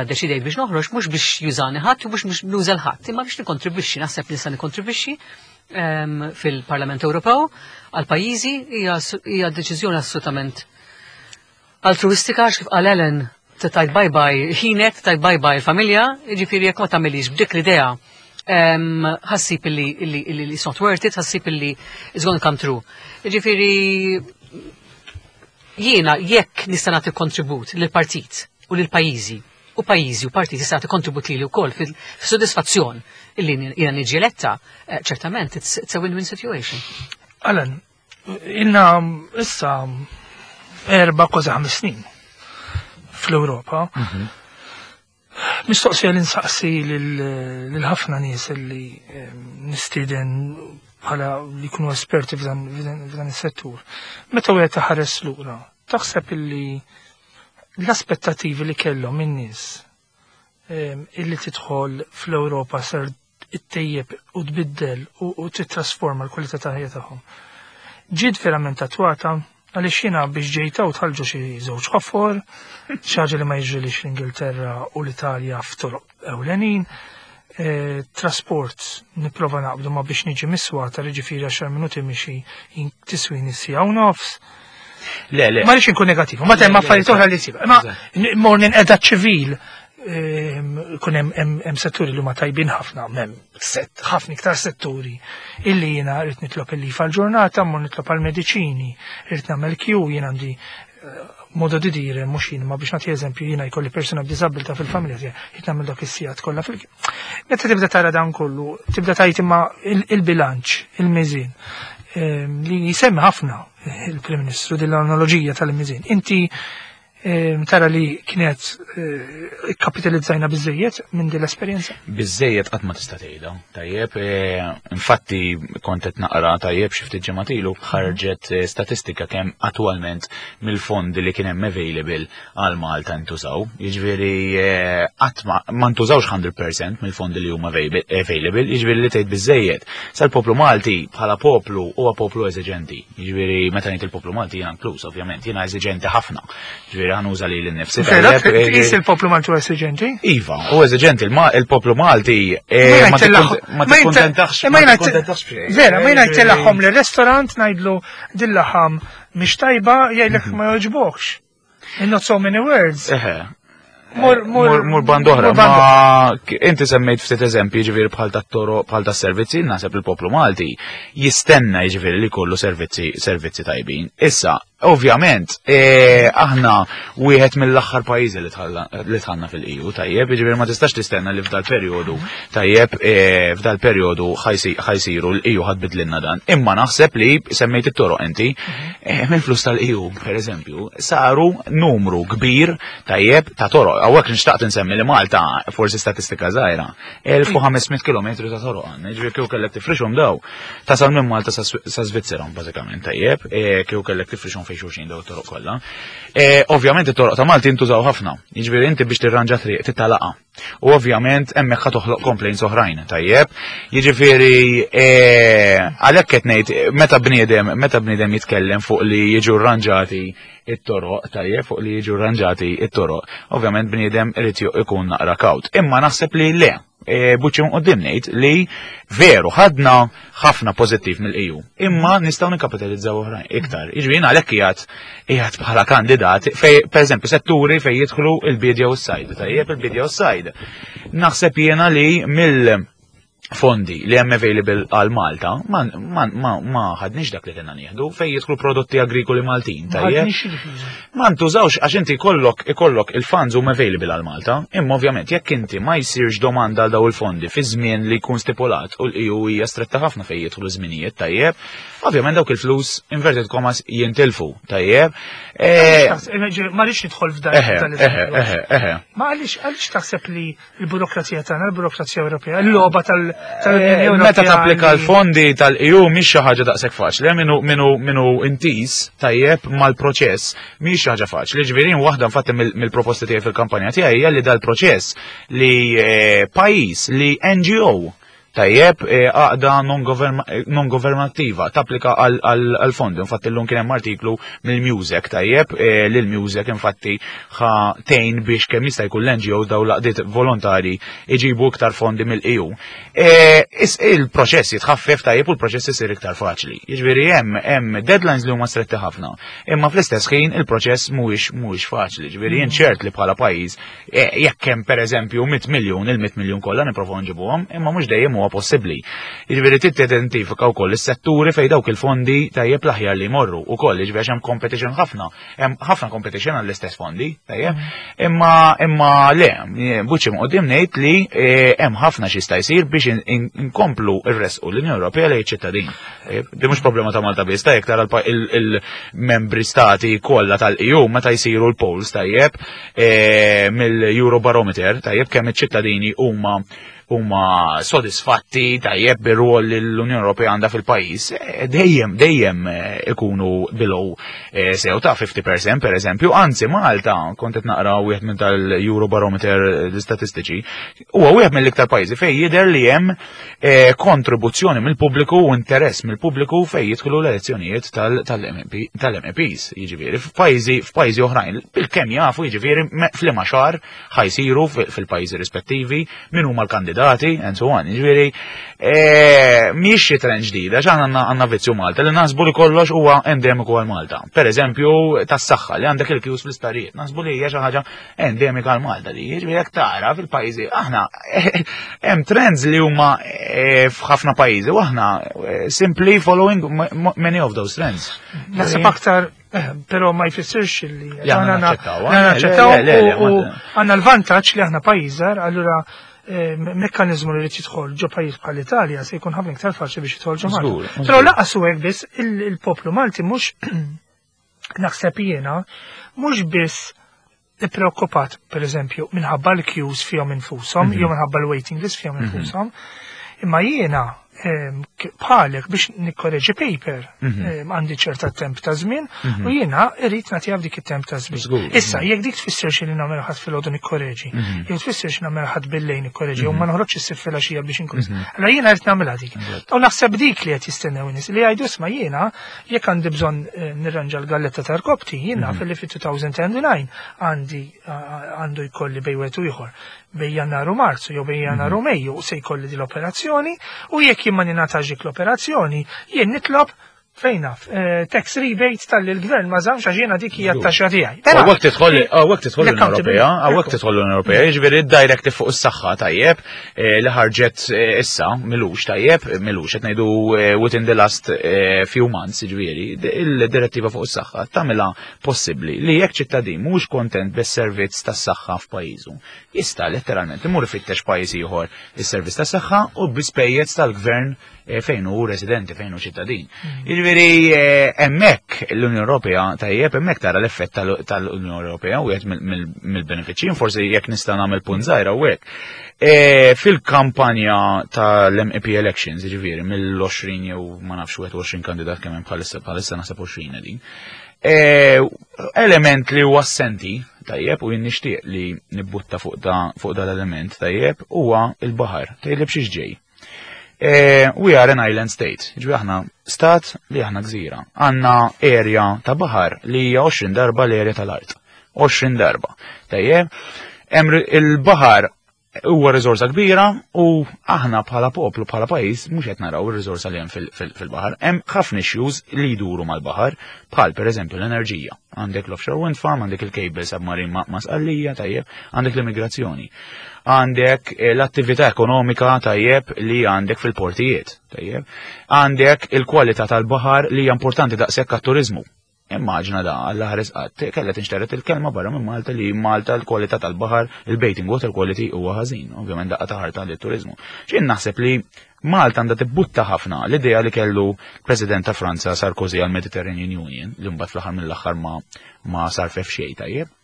deċidejt biex noħroġ mhux biex jużani ħadd u mhux biex nuża l-ħadd, imma biex nikkontribwixxi, naħseb li nista' nikkontribwixxi fil-Parlament Ewropew għal pajjiżi hija deċiżjoni assolutament altruistika għax kif qal Ellen tajt bye bye ħinek, tajt bye bye il-familja, jiġifieri jekk ma tagħmilix b'dik l-idea ħassib illi it's not worth it, ħassib illi it's gonna come true. Jiġifieri jiena jekk nista' nagħti kontribut lill-partit u lill-pajjiżi u pajjiżi u partit jista' jagħti kontribut lili wkoll fis-sodisfazzjon illi jiena niġi eletta, ċertament it's a win-win situation. Alan, Ilna issa 4 kważi 5 snin fl-Ewropa. Mistoqsija li nsaqsi lil ħafna nies li nistieden bħala li jkunu esperti f'dan is-settur. Meta wieħed taħares lura, taħseb illi l-aspettativi li kellhom in-nies illi tidħol fl-Ewropa ser ittejjeb u tbiddel u titrasforma l-kwalità ta' ħajja tagħhom, ġiet verament attwata? Għaliex jiena biex ġejta u tħallġu xi żewġ ħofor, xi ħaġa li ma jiġrilix l-Ingilterra u l-Italja f'toroq ewlenin. Trasport nipprova naqbdu ma biex niġi miswata, jiġifieri 10 minuti mixi tiswini siegħa u nofs. Le, le. Ma rridx inkun negativ, ma hemm affarijiet oħra li jsib. Ma mor ninqeda ċivil, kun hemm setturi li huma tajbin ħafna, hemm set ħafna iktar setturi illi jiena rrid nitlob il-leave għal-ġurnata, mmur nitlob għal-mediċini, rrid nagħmel queue, jien għandi modo di dire, mhux jien, ma biex nagħti eżempju, jiena jkolli persuna b'diżabilità fil-familja tiegħi, rrid nagħmel dak is-sigħat kollha fil. Meta tibda tara dan kollu, tibda tgħid imma il-bilanċ, il-miżin, li jisemmi ħafna il-Prim Ministru din l-analoġija tal-miżin. Inti tara li kienet kapitalizzajna biżejjed minn din l-esperjenza? Biżejjed qatt ma tista' tgħidha. Tajjeb, infatti kont qed naqra, tajjeb, xi ftit ġimgħat ilu ħarġet statistika kemm attwalment mill-fondi li kien hemm available għal Malta ntużaw. Jiġifieri qatt ma ntużawx 100% mill-fondi li huma available, jiġifieri li tgħid biżejjed. Sal-poplu Malti bħala poplu huwa poplu eżiġenti. Jiġifieri meta ngħid il-poplu Malti jiena inkluż, ovvjament, jiena eżiġenti ħafna. Jiġifieri ħa nuża lili nnifsi. Vera, Tajjeb, tqis il-poplu Malti huwa eżiġenti? Iva, u eżiġenti il-poplu Malti Ma ma ma tikkuntentax ma ma jena tikkuntentax b'xejn. Vera, ma jena jtellagħhom l-restaurant ngħidlu din laħam mhix tajba, jgħidlek ma jogħġbokx. In not so many words. Eħe. Mur Mur band'oħra, mur band ma inti semmejt ftit eżempji, ġifieri bħal tat-toroq, bħal tas-servizzi, naħseb il-poplu Malti jistenna ġifieri li kollu servizzi tajbin. Issa, ovvjament, aħna wieħed mill-aħħar pajjiżi li dħalna fil-EU, tajjeb, ġifieri ma tistax tistenna li f'dal perjodu, tajjeb, f'dal perjodu ħa jsiru l-EU ħa tbiddlilna dan. Imma naħseb li semmejt it-toroq inti, mill-flus tal-EU, per eżempju, saru numru kbir, tajjeb, ta' toroq. Hawnhekk nixtaqt insemmi li Malta, forsi statistika żgħira, 1500 km ta' toroq għandna, ġifieri kieku kellek tifrixhom daw, tasal minn Malta sa Svizzera, bażikament, tajjeb, kieku kellek tifrixhom fejn xulxin daw it-toroq kollha. Ovvjament it-toroq ta' Malta jintużaw ħafna, jiġifieri inti biex tirranġa triq titalaqa. U ovvjament hemmhekk ħa toħloq complaints oħrajn, tajjeb. Jiġifieri għalhekk qed ngħid meta bniedem jitkellem fuq li jiġu rranġati it-toroq, tajjeb, fuq li jiġu rranġati it-toroq, ovvjament bniedem irid ikun naqra kawt. Imma naħseb li le, buċċi quddiem ngħid li veru ħadna ħafna pożittiv mill-EU, imma nistgħu nikkapitalizzaw oħrajn iktar. Jiġifieri jiena għalhekk qiegħed bħala kandidat fej, pereżempju, setturi fej jidħlu il-bidja u s-sajd, tajjeb, il-bidja u s-sajd. Naħseb jiena li mill fondi li hemm available għal Malta ma ħadniex dak li kellna nieħdu fejn jidħlu prodotti agrikoli Maltin, tajjeb. Ħadniex jiġifieri. Ma ntużawx għax inti ikollok il-funds huma available għal Malta, imma ovvjament jekk inti ma jsirx domanda għal daw il-fondi fi żmien li jkun stipulat u l-EU hija stretta ħafna fejn jidħlu żminijiet, tajjeb, ovvjament dawk il-flus, inverted commas, jintilfu, tajjeb. Ma rridx nidħol f'dan f'dan l-eżempju. Eħe, eħe. Ma għaliex taħseb li l-burokrazija tagħna, l-burokrazija Ewropea, l-logħba tal-Unjoni Ewropea? Meta tapplika l-fondi tal-EU mhix xi ħaġa daqshekk faċli, minu intis tajjeb mal-proċess mhix xi ħaġa faċli. Ġifieri waħda infatti mill-proposti tiegħi fil-kampanja tiegħi hija li dal-proċess li pajjiż li NGO, tajjeb, għaqda non-governattiva tapplika għal-fondi. Infatti l-lum kien hemm artiklu mill-Music, tajjeb, li l-Music infatti ħa tgħin biex kemm jista' jkun l-NGO daw laqdiet volontari iġibu iktar fondi mill-EU. Il-proċess jitħaffef, tajjeb, u l-proċess isir iktar faċli. Jiġifieri hemm deadlines li huma stretti ħafna, imma fl-istess ħin il-proċess mhuwiex faċli. Jiġifieri jien ċert li bħala pajjiż jekk hemm pereżempju 100 miljun, il-100 miljun kollha nipprovaw nġibuhom, imma mhux dejjem. kemm huwa possibbli. Jiġifieri trid tidentifika wkoll is-setturi fejn dawk il-fondi tajjeb l-aħjar li jmorru wkoll, jiġifieri għax hemm competition ħafna, hemm ħafna competition għall-istess fondi, tajjeb. Imma imma le, buċi qudiem ngħid li eh, hemm ħafna xi jista' jsir biex inkomplu rresqu l-Unjoni Ewropea lejn ċittadin. Di mhux problema ta' Malta biss, tajjeb tara il-membri stati kollha tal-EU meta jsiru l-polls tajjeb eh, mill-Eurobarometer tajjeb kemm iċ-ċittadini huma huma sodisfatti tajjeb bir-rwol li l-Unjoni Ewropea għandha fil-pajjiż, eh, dejjem dejjem eh, ikunu below eh, sew ta' 50% per eżempju, anzi Malta kont qed naqra wieħed minn tal-Eurobarometer l-istatistiċi, huwa wieħed mill-iktar pajjiżi fejn jidher li hemm kontribuzzjoni mill-pubbliku u interess mill-pubbliku fejn jidħlu l-elezzjonijiet tal-MEPs, jiġifieri f'pajjiżi f'pajjiżi oħrajn, bil-kemm jafu jiġifieri f'liema xahar ħajsiru fil-pajjiżi rispettivi, min huma l-kandidati, and so on. Jiġifieri, eh, mhix xi trend ġdida, x'aħna għandna vizzju Malta li naħsbu li kollox huwa endemiku għal Malta. Per eżempju, tas-saħħa li għandek il-kjus fl-isptarijiet, naħsbu li hija xi ħaġa endemika għal Malta li jiġifieri jekk tara fil-pajjiżi aħna hemm trends li huma eh, f'ħafna pajjiżi u aħna eh, simply following many of those trends. Naħseb aktar Eh, però ma jfissirx li aħna naċċettaw u għandna l-vantaġġ li aħna pajjiż allura eh, mekkanizmu li jidħol ġo pajjiż bħal Italja se jkun ħafna iktar faċli biex jidħol ġo Malta. Però laqas u hekk biss il-poplu Malti mhux naħseb jiena mhux biss ippreokkupat pereżempju minħabba l-queues fihom infushom jew minħabba l-waiting list fihom infushom. Imma jiena bħalek biex nikkoreġi paper mhm. għandi ċerta temp ta' żmien mhm. u jiena irrid nagħtiha f'dik it-temp ta' żmien. Issa jekk dik tfisser li nagħmel ħadd filgħodu nikkoreġi, mhm. jew tfisser xi nagħmel ħadd billejn nikkoreġi jew ma noħroġx issir filgħaxija biex inkun. Allura jiena rrid nagħmilha dik. U naħseb dik li qed jistennew nies li jgħidu isma' jiena jekk għandi bżonn eh, nirranġa l-galletta ta' rkobti, jiena fil-li fit-2009 għandi għandu jkolli bej wieħed u ieħor bej jannar u marzu jew bej jannar u mhm. Mejju se jkolli din l-operazzjoni u jekk jien ma ningħatax dik l-operazzjoni jien nitlob fejn naf, eh, tax rebate tal-li l-gvern ma żamx għax jiena dik hija t-taxxa tiegħi. Hawnhekk tidħol hawnhekk tidħol l-Unjoni Ewropea, hawnhekk tidħol l-Unjoni Ewropea, jiġifieri d-directive fuq is-saħħa tajjeb eh, li ħarġet eh, issa milux tajjeb, milux qed ngħidu within the last few months, jiġifieri il-direttiva fuq is-saħħa tagħmilha possibbli li jekk ċittadin mhux kontent bis-servizz tas-saħħa f'pajjiżu, jista' letteralment imur ifittex pajjiż ieħor is-servizz tas-saħħa u bi spejjeż tal-gvern eh, fejn hu residenti, fejn hu ċittadin. Mm. Jiġifieri eh, hemmhekk l-Unjoni Ewropea tajjeb hemmhekk tara l-effett tal-Unjoni Ewropea u mill-benefiċċji, forsi jekk nista' nagħmel punt żgħira u hekk. Eh, fil-kampanja tal-MEP elections, jiġifieri mill-20 jew ma nafx 21 kandidat kemm hemm bħalissa bħalissa naħseb 20 din. E, element li huwa assenti, tajjeb, u jien nixtieq li nibbutta fuq da fuq dal-element, tajjeb, huwa il-baħar, tajjeb xiex ġej. E, we are an island state, ġbi aħna stat li aħna gżira. Għanna area ta' baħar li hija 20 darba l-area tal-art. 20 darba. Tajjeb, il-baħar huwa riżorsa kbira u aħna bħala poplu, bħala pajjiż mhux qed naraw ir-riżorsa li hemm fil-baħar. Hemm ħafna issues li jduru mal-baħar, bħal pereżempju l-enerġija. Għandek l-offshore wind farm, għandek il-cable submarine ma' Sqallija, tajjeb, għandek l-immigrazzjoni. Għandek eh, l-attività ekonomika tajjeb li għandek fil-portijiet, tajjeb. Għandek il-kwalità tal-baħar li hija importanti daqshekk għat-turiżmu. Immaġna da, Alla ħares qatt, kellha tinxteret il-kelma barra minn Malta li Malta l-kwalità tal-baħar, il-bathing water quality huwa ħażin, ovvjament daqqa ta' ħarta lit-turiżmu. X'jien naħseb li Malta għandha tibbutta ħafna l-idea li kellu President ta' Franza Sarkozy għal Mediterranean Union, li mbagħad fl-aħħar mill-aħħar ma ma sarfef xejn tajjeb.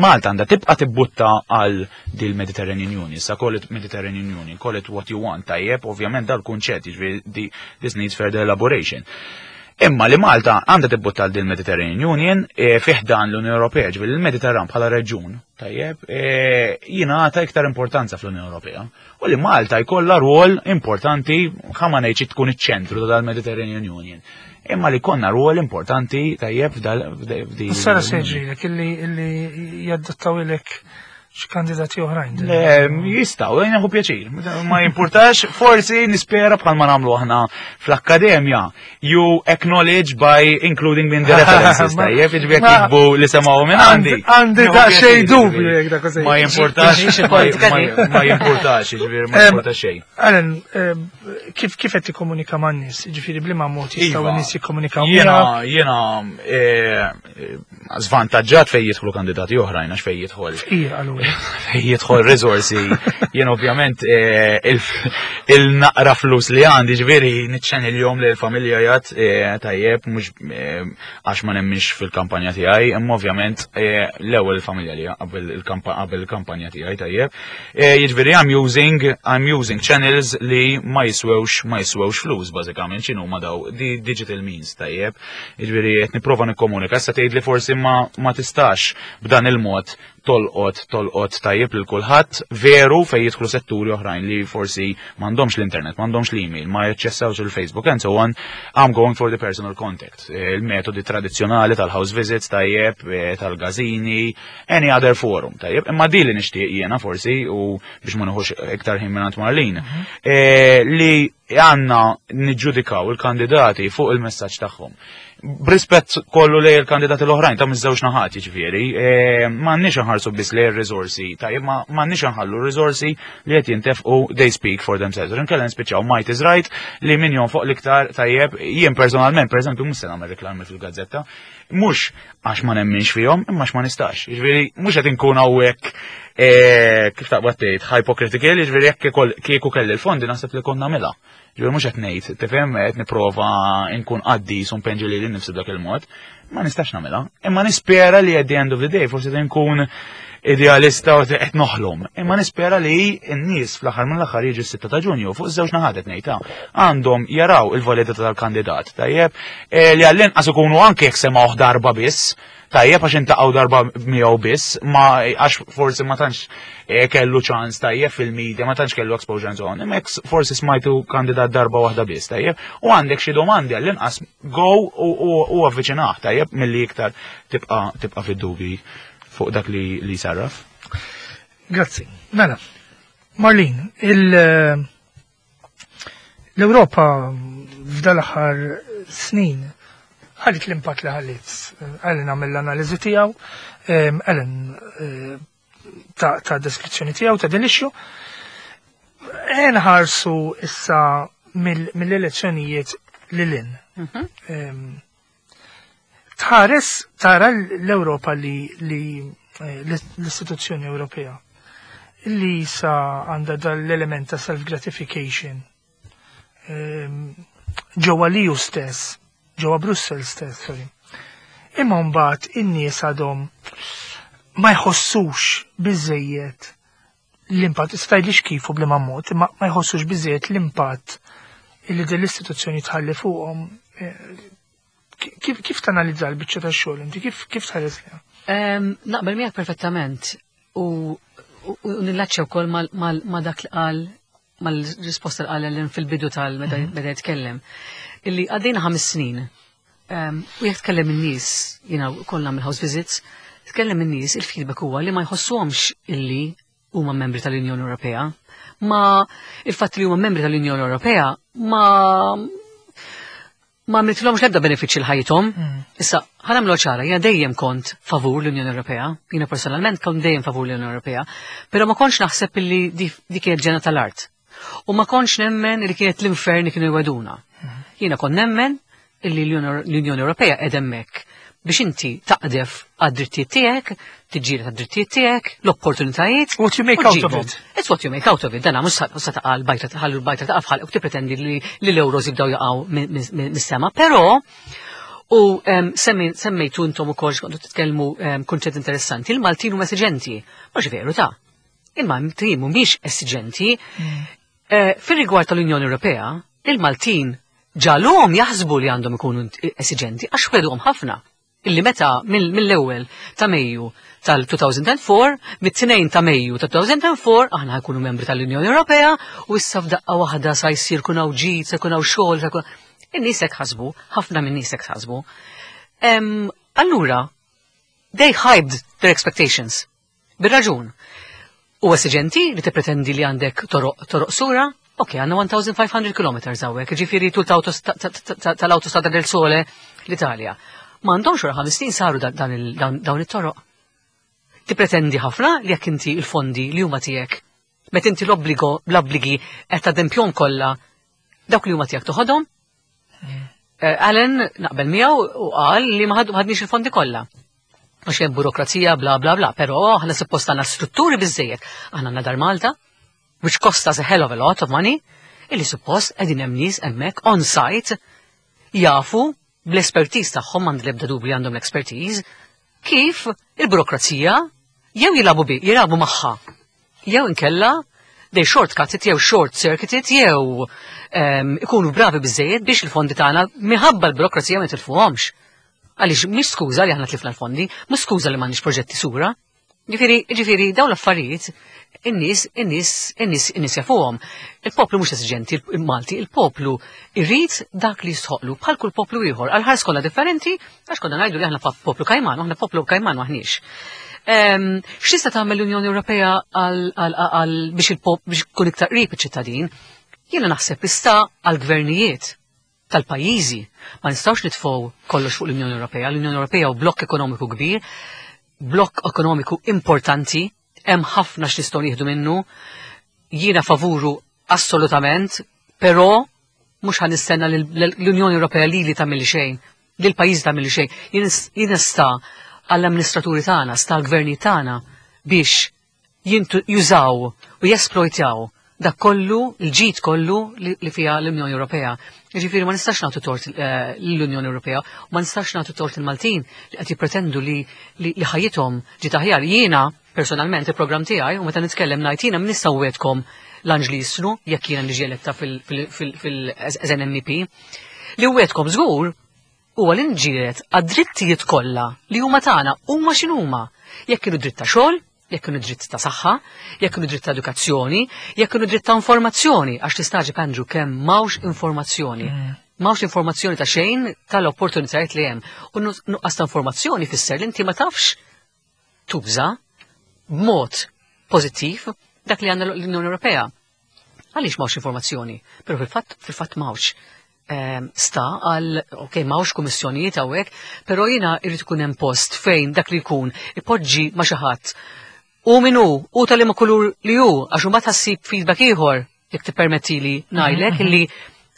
Malta għandha tibqa' tibbutta għal dil Mediterranean Union, sa call it Mediterranean Union, call it what you want, tajjeb, ovvjament dal-kunċett, jiġifieri this needs further elaboration. Imma li Malta għandha tibbutta għal dil Mediterranean Union e, fih dan l-Unjoni Ewropea, ġifieri l-Mediterran bħala reġjun, tajjeb, e, jingħata iktar importanza fl-Unjoni Ewropea. U li Malta jkollha rwol importanti, ħa ma ngħidx tkun iċ-ċentru ta' dal-Mediterranean Union. Imma li konna rwol importanti tajjeb f'dal. Sara se ġrilek illi jaddottaw ilek Xi kandidati oħrajn. Le, jistgħu, jien nieħu pjaċir. Ma jimpurtax, forsi nispera bħal ma nagħmlu aħna fl-akkademja. You acknowledge by including me in the references, tajjeb, jiġifieri jekk jiktbu li semgħu minn għandi. Għandi daqsxejn dubju jekk dak Ma jimpurtax, ma jimpurtax, jiġifieri ma jimpurtax xejn. Alan, kif kif qed tikkomunika man-nies? Jiġifieri bliema mod jistgħu Iva. n-nies jikkomunikaw Jiena, jiena zvantaġġat fej jidħlu kandidati oħrajn għax fej jidħol Fqir allura. fej jidħol risorsi. Jien ovvjament il-naqra flus li għandi ġifieri niċċenilhom li l-familja jgħat tajjeb mhux għax ma nemminx fil-kampanja tiegħi, imma ovvjament l-ewwel il-familja li qabel il-kampanja tiegħi tajjeb. Jiġifieri I'm using channels li ma jiswewx ma jiswewx flus bażikament x'inhuma daw di digital means tajjeb. Jiġifieri qed nipprova nikkomunika. Issa tgħid li forsi ma tistax b'dan il-mod tolqot tajjeb lil kulħadd, veru fejn jidħlu setturi oħrajn li forsi m'għandhomx l-internet, m'għandhomx l-email, ma jaċċessawx il-Facebook and so on. I'm going for the personal contact. Il-metodi tradizzjonali tal-house visits tajjeb, tal-gazini, any other forum tajjeb. Imma di li nixtieq jiena forsi u biex ma nieħux iktar ħin minn Marlene, li għandna niġġudikaw il-kandidati fuq il-messaġġ tagħhom. B'rispett kollu lejn il-kandidati l-oħrajn ta' miż-żewġ naħat, jiġifieri, m'għandniex nħarsu biss lejn ir-riżorsi, tajjeb, ma m'għandniex nħallu r-riżorsi li qed jintefqu they speak for themselves. Inkella nispiċċaw might is right li min jonfoq l-iktar tajjeb, jien personalment, pereżempju, mhux se nagħmel reklami fil-gazzetta, mhux għax ma nemminx fihom, imma għax ma nistax. Jiġifieri, mhux qed inkun hawnhekk kif taqbad tgħid, hypocritical, jiġifieri jekk kieku kelli l-fondi naħseb li konna nagħmilha. Ġifieri mhux qed ngħid, tifhem, qed nipprova nkun qaddis u npenġi lili nnifsi b'dak il-mod, ma nistax nagħmilha. Imma nispera li at the end of the day forsi nkun idealista u qed noħlom. Imma nispera li n-nies fl-aħħar mill-aħħar jiġu s-6 ta' Ġunju fuq iż-żewġ naħat qed ngħid, għandhom jaraw il-validità tal-kandidat, tajjeb, li għall-inqas ikunu anke jekk semgħuh darba biss, tajjeb għax intaqgħu darba miegħu biss, ma għax forsi ma tantx kellu ċans tajjeb fil-media, ma tantx kellu exposure and so on. Imma jekk forsi smajtu kandidat darba waħda biss, tajjeb, u għandek xi domandi għall-inqas go u avviċinah, tajjeb, milli iktar tibqa' fid-dubi fuq dak li sarraf. Grazzi. Mela, Marlene, l-Ewropa f'dal-aħħar snin ħallit l-impatt li ħallit. Ellen għamel l-analiżi tiegħu, Ellen ta' deskrizzjoni tiegħu ta' din l-issue. Nħarsu issa mill-elezzjonijiet lil hinn. Tħares tara l-Ewropa li l-istituzzjoni Ewropea li sa għandha dal-element ta' self-gratification ġewwa l-EU stess, ġewwa Brussels stess, sorry. Imma mbagħad in-nies għadhom ma jħossux biżejjed l-impatt, tgħidlix kif u bliema mod, imma ma jħossux biżejjed l-impatt illi din l-istituzzjoni tħalli fuqhom. Kif tanalizza l-biċċa tax-xogħol inti, kif tħares liha? Naqbel miegħek perfettament u nillaċċja wkoll ma' dak li qal, mal-risposta li qal Ellen fil-bidu tal meta jitkellem. Illi għaddejna 5 snin. U jekk tkellem in-nies, jiena wkoll nagħmel house visits, tkellem in-nies, il-feedback huwa li ma jħossuhomx illi huma membri tal-Unjoni Ewropea. Ma il-fatt li huma membri tal-Unjoni Ewropea ma għamlitlhomx l-ebda benefiċċji l-ħajjithom. Issa, ħa nagħmlu ċara, jiena dejjem kont favur l-Unjoni Ewropea, jiena personalment kont dejjem favur l-Unjoni Ewropea, però ma kontx naħseb illi di kienet ġenna tal-art. U ma kontx nemmen li kienet l-infern li kienu jweduna. Jiena kont nemmen illi l-Unjoni Ewropea qed hemmhekk biex inti taqdef għad-drittijiet tiegħek, tiġġieled għad-drittijiet tiegħek, l-opportunitajiet. What you make out of it. It's what you make out of it. Dana mhux sa taqa' l-bajta tħallu l-bajta taqa' f'ħalq u tippretendi li l-euros jibdew jaqgħu mis-sema. Però u semmejtu intom ukoll x'kontu titkellmu kunċett interessanti, il-Maltin huma esiġenti. Mhux veru ta'. Il-Maltin mhumiex esiġenti. Fir-rigward tal-Unjoni Ewropea, il-Maltin ġalhom jaħsbu li għandhom ikunu esiġenti għax wedhom ħafna. Illi meta mill-ewwel ta' Mejju tal-2004, mit-2 ta' Mejju tal-2004, aħna ħajkunu membri tal-Unjoni Ewropea u issa f'daqqa waħda sa jsir kun hawn ġid, sa jkun hawn xogħol, sa jkun In-nies hekk ħasbu, ħafna minn nies hekk ħasbu. Allura, they hyped their expectations. Bir-raġun. U esiġenti li tippretendi li għandek toroq toroq sura, ok, għandna 1500 km hawnhekk, ġifieri tul tal-Autostrada del Sole l-Italja. Ma għandhomx wara 5 snin saru dawn it-toroq. Tippretendi ħafna li jekk inti il-fondi li huma tiegħek, meta inti l-obbligo l-obbligi qed tadempjhom kollha dawk li huma tiegħek toħodhom. Alan naqbel miegħu u qal li ma ħadniex il-fondi kollha. Għax hemm burokrazija bla bla bla, però aħna suppost għandna strutturi biżejjed. Aħna għandna Dar Malta, which cost us a hell of a lot of money, illi suppost qegħdin hemm nies hemmhekk on site jafu bl-expertise tagħhom m'għandi l-ebda dubju li għandhom l-expertise kif il-burokrazija jew jilagħbu bi, jilagħbu magħha. Jew inkella they shortcut it jew short circuit it jew ikunu bravi biżejjed biex il-fondi tagħna minħabba l-burokrazija ma jitilfuhomx. Għaliex mhix skuża li aħna tlifna l-fondi, mhux skuża li m'għandniex proġetti sura. Ġifieri, ġifieri dawn l-affarijiet in-nies, in-nies, in-nies, in-nies jafuhom. Il-poplu mhux esiġenti, il-Malti, il-poplu irrid dak li jistħoqlu bħal kull poplu ieħor. Għal ħars kollha differenti, għax konna ngħidu li aħna poplu kajman, aħna poplu kajman maħniex. X'tista' tagħmel l-Unjoni Ewropea għal biex il-pop biex ikun iktar qrib iċ-ċittadin? Jiena naħseb issa għall-gvernijiet tal-pajjiżi. Ma nistgħux nitfgħu kollox fuq l-Unjoni Ewropea. L-Unjoni Ewropea hu blokk ekonomiku kbir, blokk ekonomiku importanti, hemm ħafna x'nistgħu nieħdu minnu. Jiena favuru assolutament, però mhux ħa nistenna l-Unjoni Ewropea li li tagħmel xejn, li l-pajjiż tagħmel xejn. Jien sta għall-amministraturi tagħna, sta għall-gvernijiet tagħna biex jużaw u jesplojtjaw dak kollu, il-ġid kollu li fiha l-Unjoni Ewropea. Ġifieri ma nistax nagħtu tort l-Unjoni Ewropea, u ma nistax nagħtu tort il-Maltin li qed jippretendu li ħajjithom ġiet aħjar. Jiena personalment il-programm tiegħi u meta nitkellem ngħid jiena nista' wetkom l-anġli jisnu jekk jiena niġi eletta fil-as an MEP. Li wetkom żgur huwa li nġiret għad-drittijiet kollha li huma tagħna huma x'inhuma. Jekk kienu dritt ta' xogħol, jekk kienu dritt ta' saħħa, jekk kienu dritt ta' edukazzjoni, jekk kienu dritt ta' informazzjoni, għax tistagħġeb Andrew kemm m'hawnx informazzjoni. M'hawnx informazzjoni ta' xejn tal-opportunitajiet li hemm. U nuqqas ta' informazzjoni fisser li inti ma tafx tuża b'mod pożittiv dak li għandna l-Unjoni Ewropea. Għaliex m'hawnx informazzjoni? Però fil-fatt m'hawnx. Sta għal, ok, m'hawnx kummissjonijiet hawnhekk, però jiena jrid ikun hemm post fejn dak li jkun ipoġġi ma' xi ħadd. U min hu, u tal-liema kulur li hu, għax imbagħad ħassib feedback ieħor, jekk tippermettili ngħidlek illi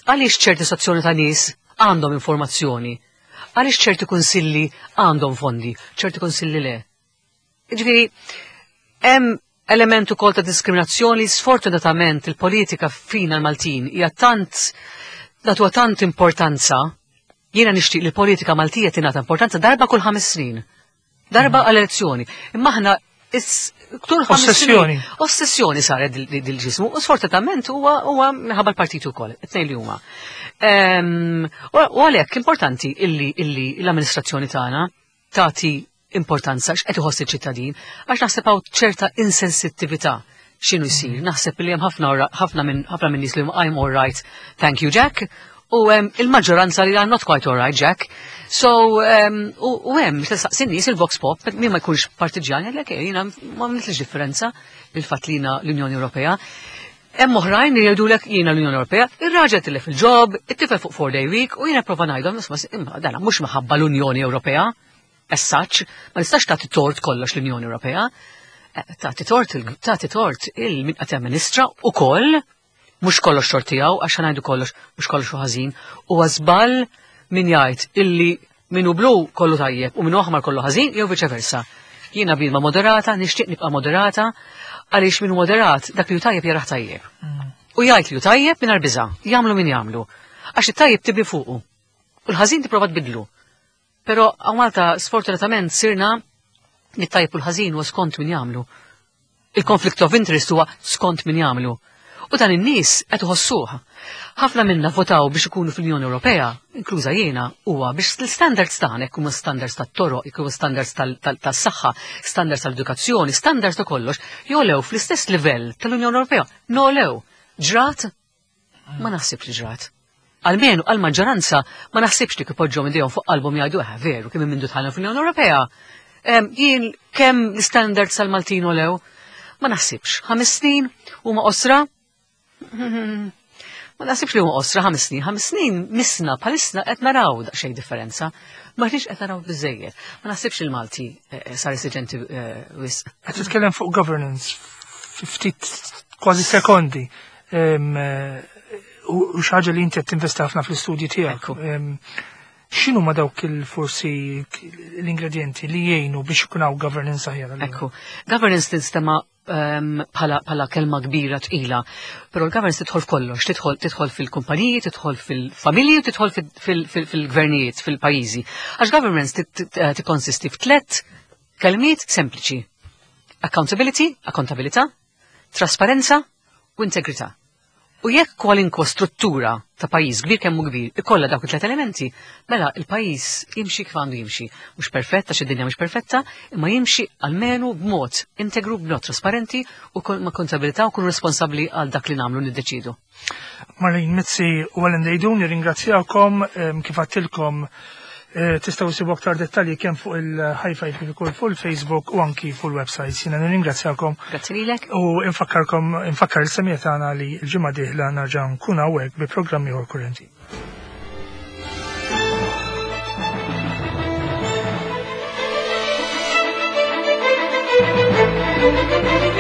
għaliex ċerti sezzjoni ta' nies għandhom informazzjoni, għaliex ċerti kunsilli għandhom fondi, ċerti kunsilli le. Ġifieri, hemm element ukoll ta' diskriminazzjoni, sfortunatament il-politika fina l-Maltin hija tant nagħtuha tant importanza, jiena nixtieq li l-politika Maltija tingħata importanza darba kull 5 snin. Darba għal-elezzjoni. Imma aħna tul 5 snin. Ossessjoni. Ossessjoni saret dil-ġismu, u sfortunatament huwa minħabba l-partitu wkoll, it-tnejn li huma. U għalhekk importanti illi l-amministrazzjoni tagħna tagħti importanza x'qed iħoss iċ-ċittadin, għax naħseb hawn ċerta insensittività x'inhu jsir. Naħseb li hemm ħafna minn nies li huma I'm all right, thank you Jack, u hemm il-maġġoranza li I'm not quite all right Jack. So, u hemm tistaqsi nies il-Vox Pop, min ma jkunx partiġjan, jgħidlek, jiena ma nagħmilx differenza bil-fatt li jiena l-Unjoni Ewropea. Hemm oħrajn li jgħidulek jiena l-Unjoni Ewropea, ir-raġel tilef il-ġob, it-tifel fuq 4-day week, u jiena prova ngħidhom, isma' imma dana mhux minħabba l-Unjoni Ewropea, as such, ma nistax tagħti tort kollox l-Unjoni Ewropea. Tagħti tort tagħti tort il-min qed jamministra ukoll, mhux kollox tort tiegħu, għax ngħidu kollox, mhux kollox hu ħażin, huwa żball min jgħid illi min hu blu kollu tajjeb u min hu aħmar kollu ħażin jew viċe versa. Jiena bniedma moderata, nixtieq nibqa' moderata, għaliex min hu moderat dak li hu tajjeb jarah tajjeb. U jgħid li hu tajjeb mingħajr biża', jagħmlu min jagħmlu. Għax it-tajjeb tibni fuqu. U l-ħażin tipprova tbidlu. Però hawn Malta sfortunatament sirna li t-tajjeb u l-ħażin huwa skont min jagħmlu. Il-conflict of interest huwa skont min jagħmlu. U dan in-nies qed iħossuh. Ħafna minna votaw biex ikunu fl-Unjoni Ewropea, inkluża jiena, huwa biex l-standards tagħna jkunu standards tat-toroq, jkunu standards tas-saħħa, standards tal-edukazzjoni, standards ta' kollox, jolew fl-istess livell tal-Unjoni Ewropea. Nolew. Ġrat? Ma naħsibx li ġrat. Almenu għal-maġġoranza ma naħsibx li kipoġġhom idejhom fuq qalbhom jgħidu veru kemm mindu dħalna fl-Unjoni Ewropea. Jien kemm l-standards tal-Maltin olew? Ma naħsibx. 5 snin huma qosra? Ma naħsibx li huma qosra 5 snin. 5 snin misna bħalissa qed naraw daqsxejn differenza. Ma rridx qed naraw biżejjed. Ma naħsibx il-Malti sar esiġenti wisq. Qed titkellem fuq governance fi ftit kważi sekondi. U xi ħaġa li inti qed tinvesti ħafna fl-istudji tiegħek. Ekku. X'inhu ma dawk il-forsi l-ingredienti li jgħinu biex ikun hawn governance aħjar allura? Ekku. Governance tinstema bħala kelma kbira tqila, però l-governance tidħol f'kollox, tidħol fil-kumpaniji, tidħol fil-familji u tidħol fil-gvernijiet, fil-pajjiżi. Għax governance tikkonsisti f'tlet kelmiet sempliċi. Accountability, akkontabilità, trasparenza u integrità. U jekk kwalinkwa struttura ta' pajjiż kbir kemm hu kbir ikollha dawk it-tlet elementi, mela il-pajjiż jimxi kif għandu jimxi. Mhux perfetta, għax id-dinja mhux perfetta, imma jimxi almenu b'mod integru, b'mod trasparenti u ma' kontabilità u kunu responsabbli għal dak li nagħmlu niddeċidu. Marlene Mizzi u Alan Deidun, nirringrazzjakom kif għedtilkom tistgħu ssibu aktar dettalji kemm fuq il-High Five kif ukoll fuq il-Facebook u anki fuq il-website. Jiena nirringrazzjakom. Grazzi lilek. U infakkarkom, infakkar il-semmiegħa tagħna li l-ġimgħa dieħla nerġa' nkun hawnhekk bi programmi ieħor kurrenti. Thank you.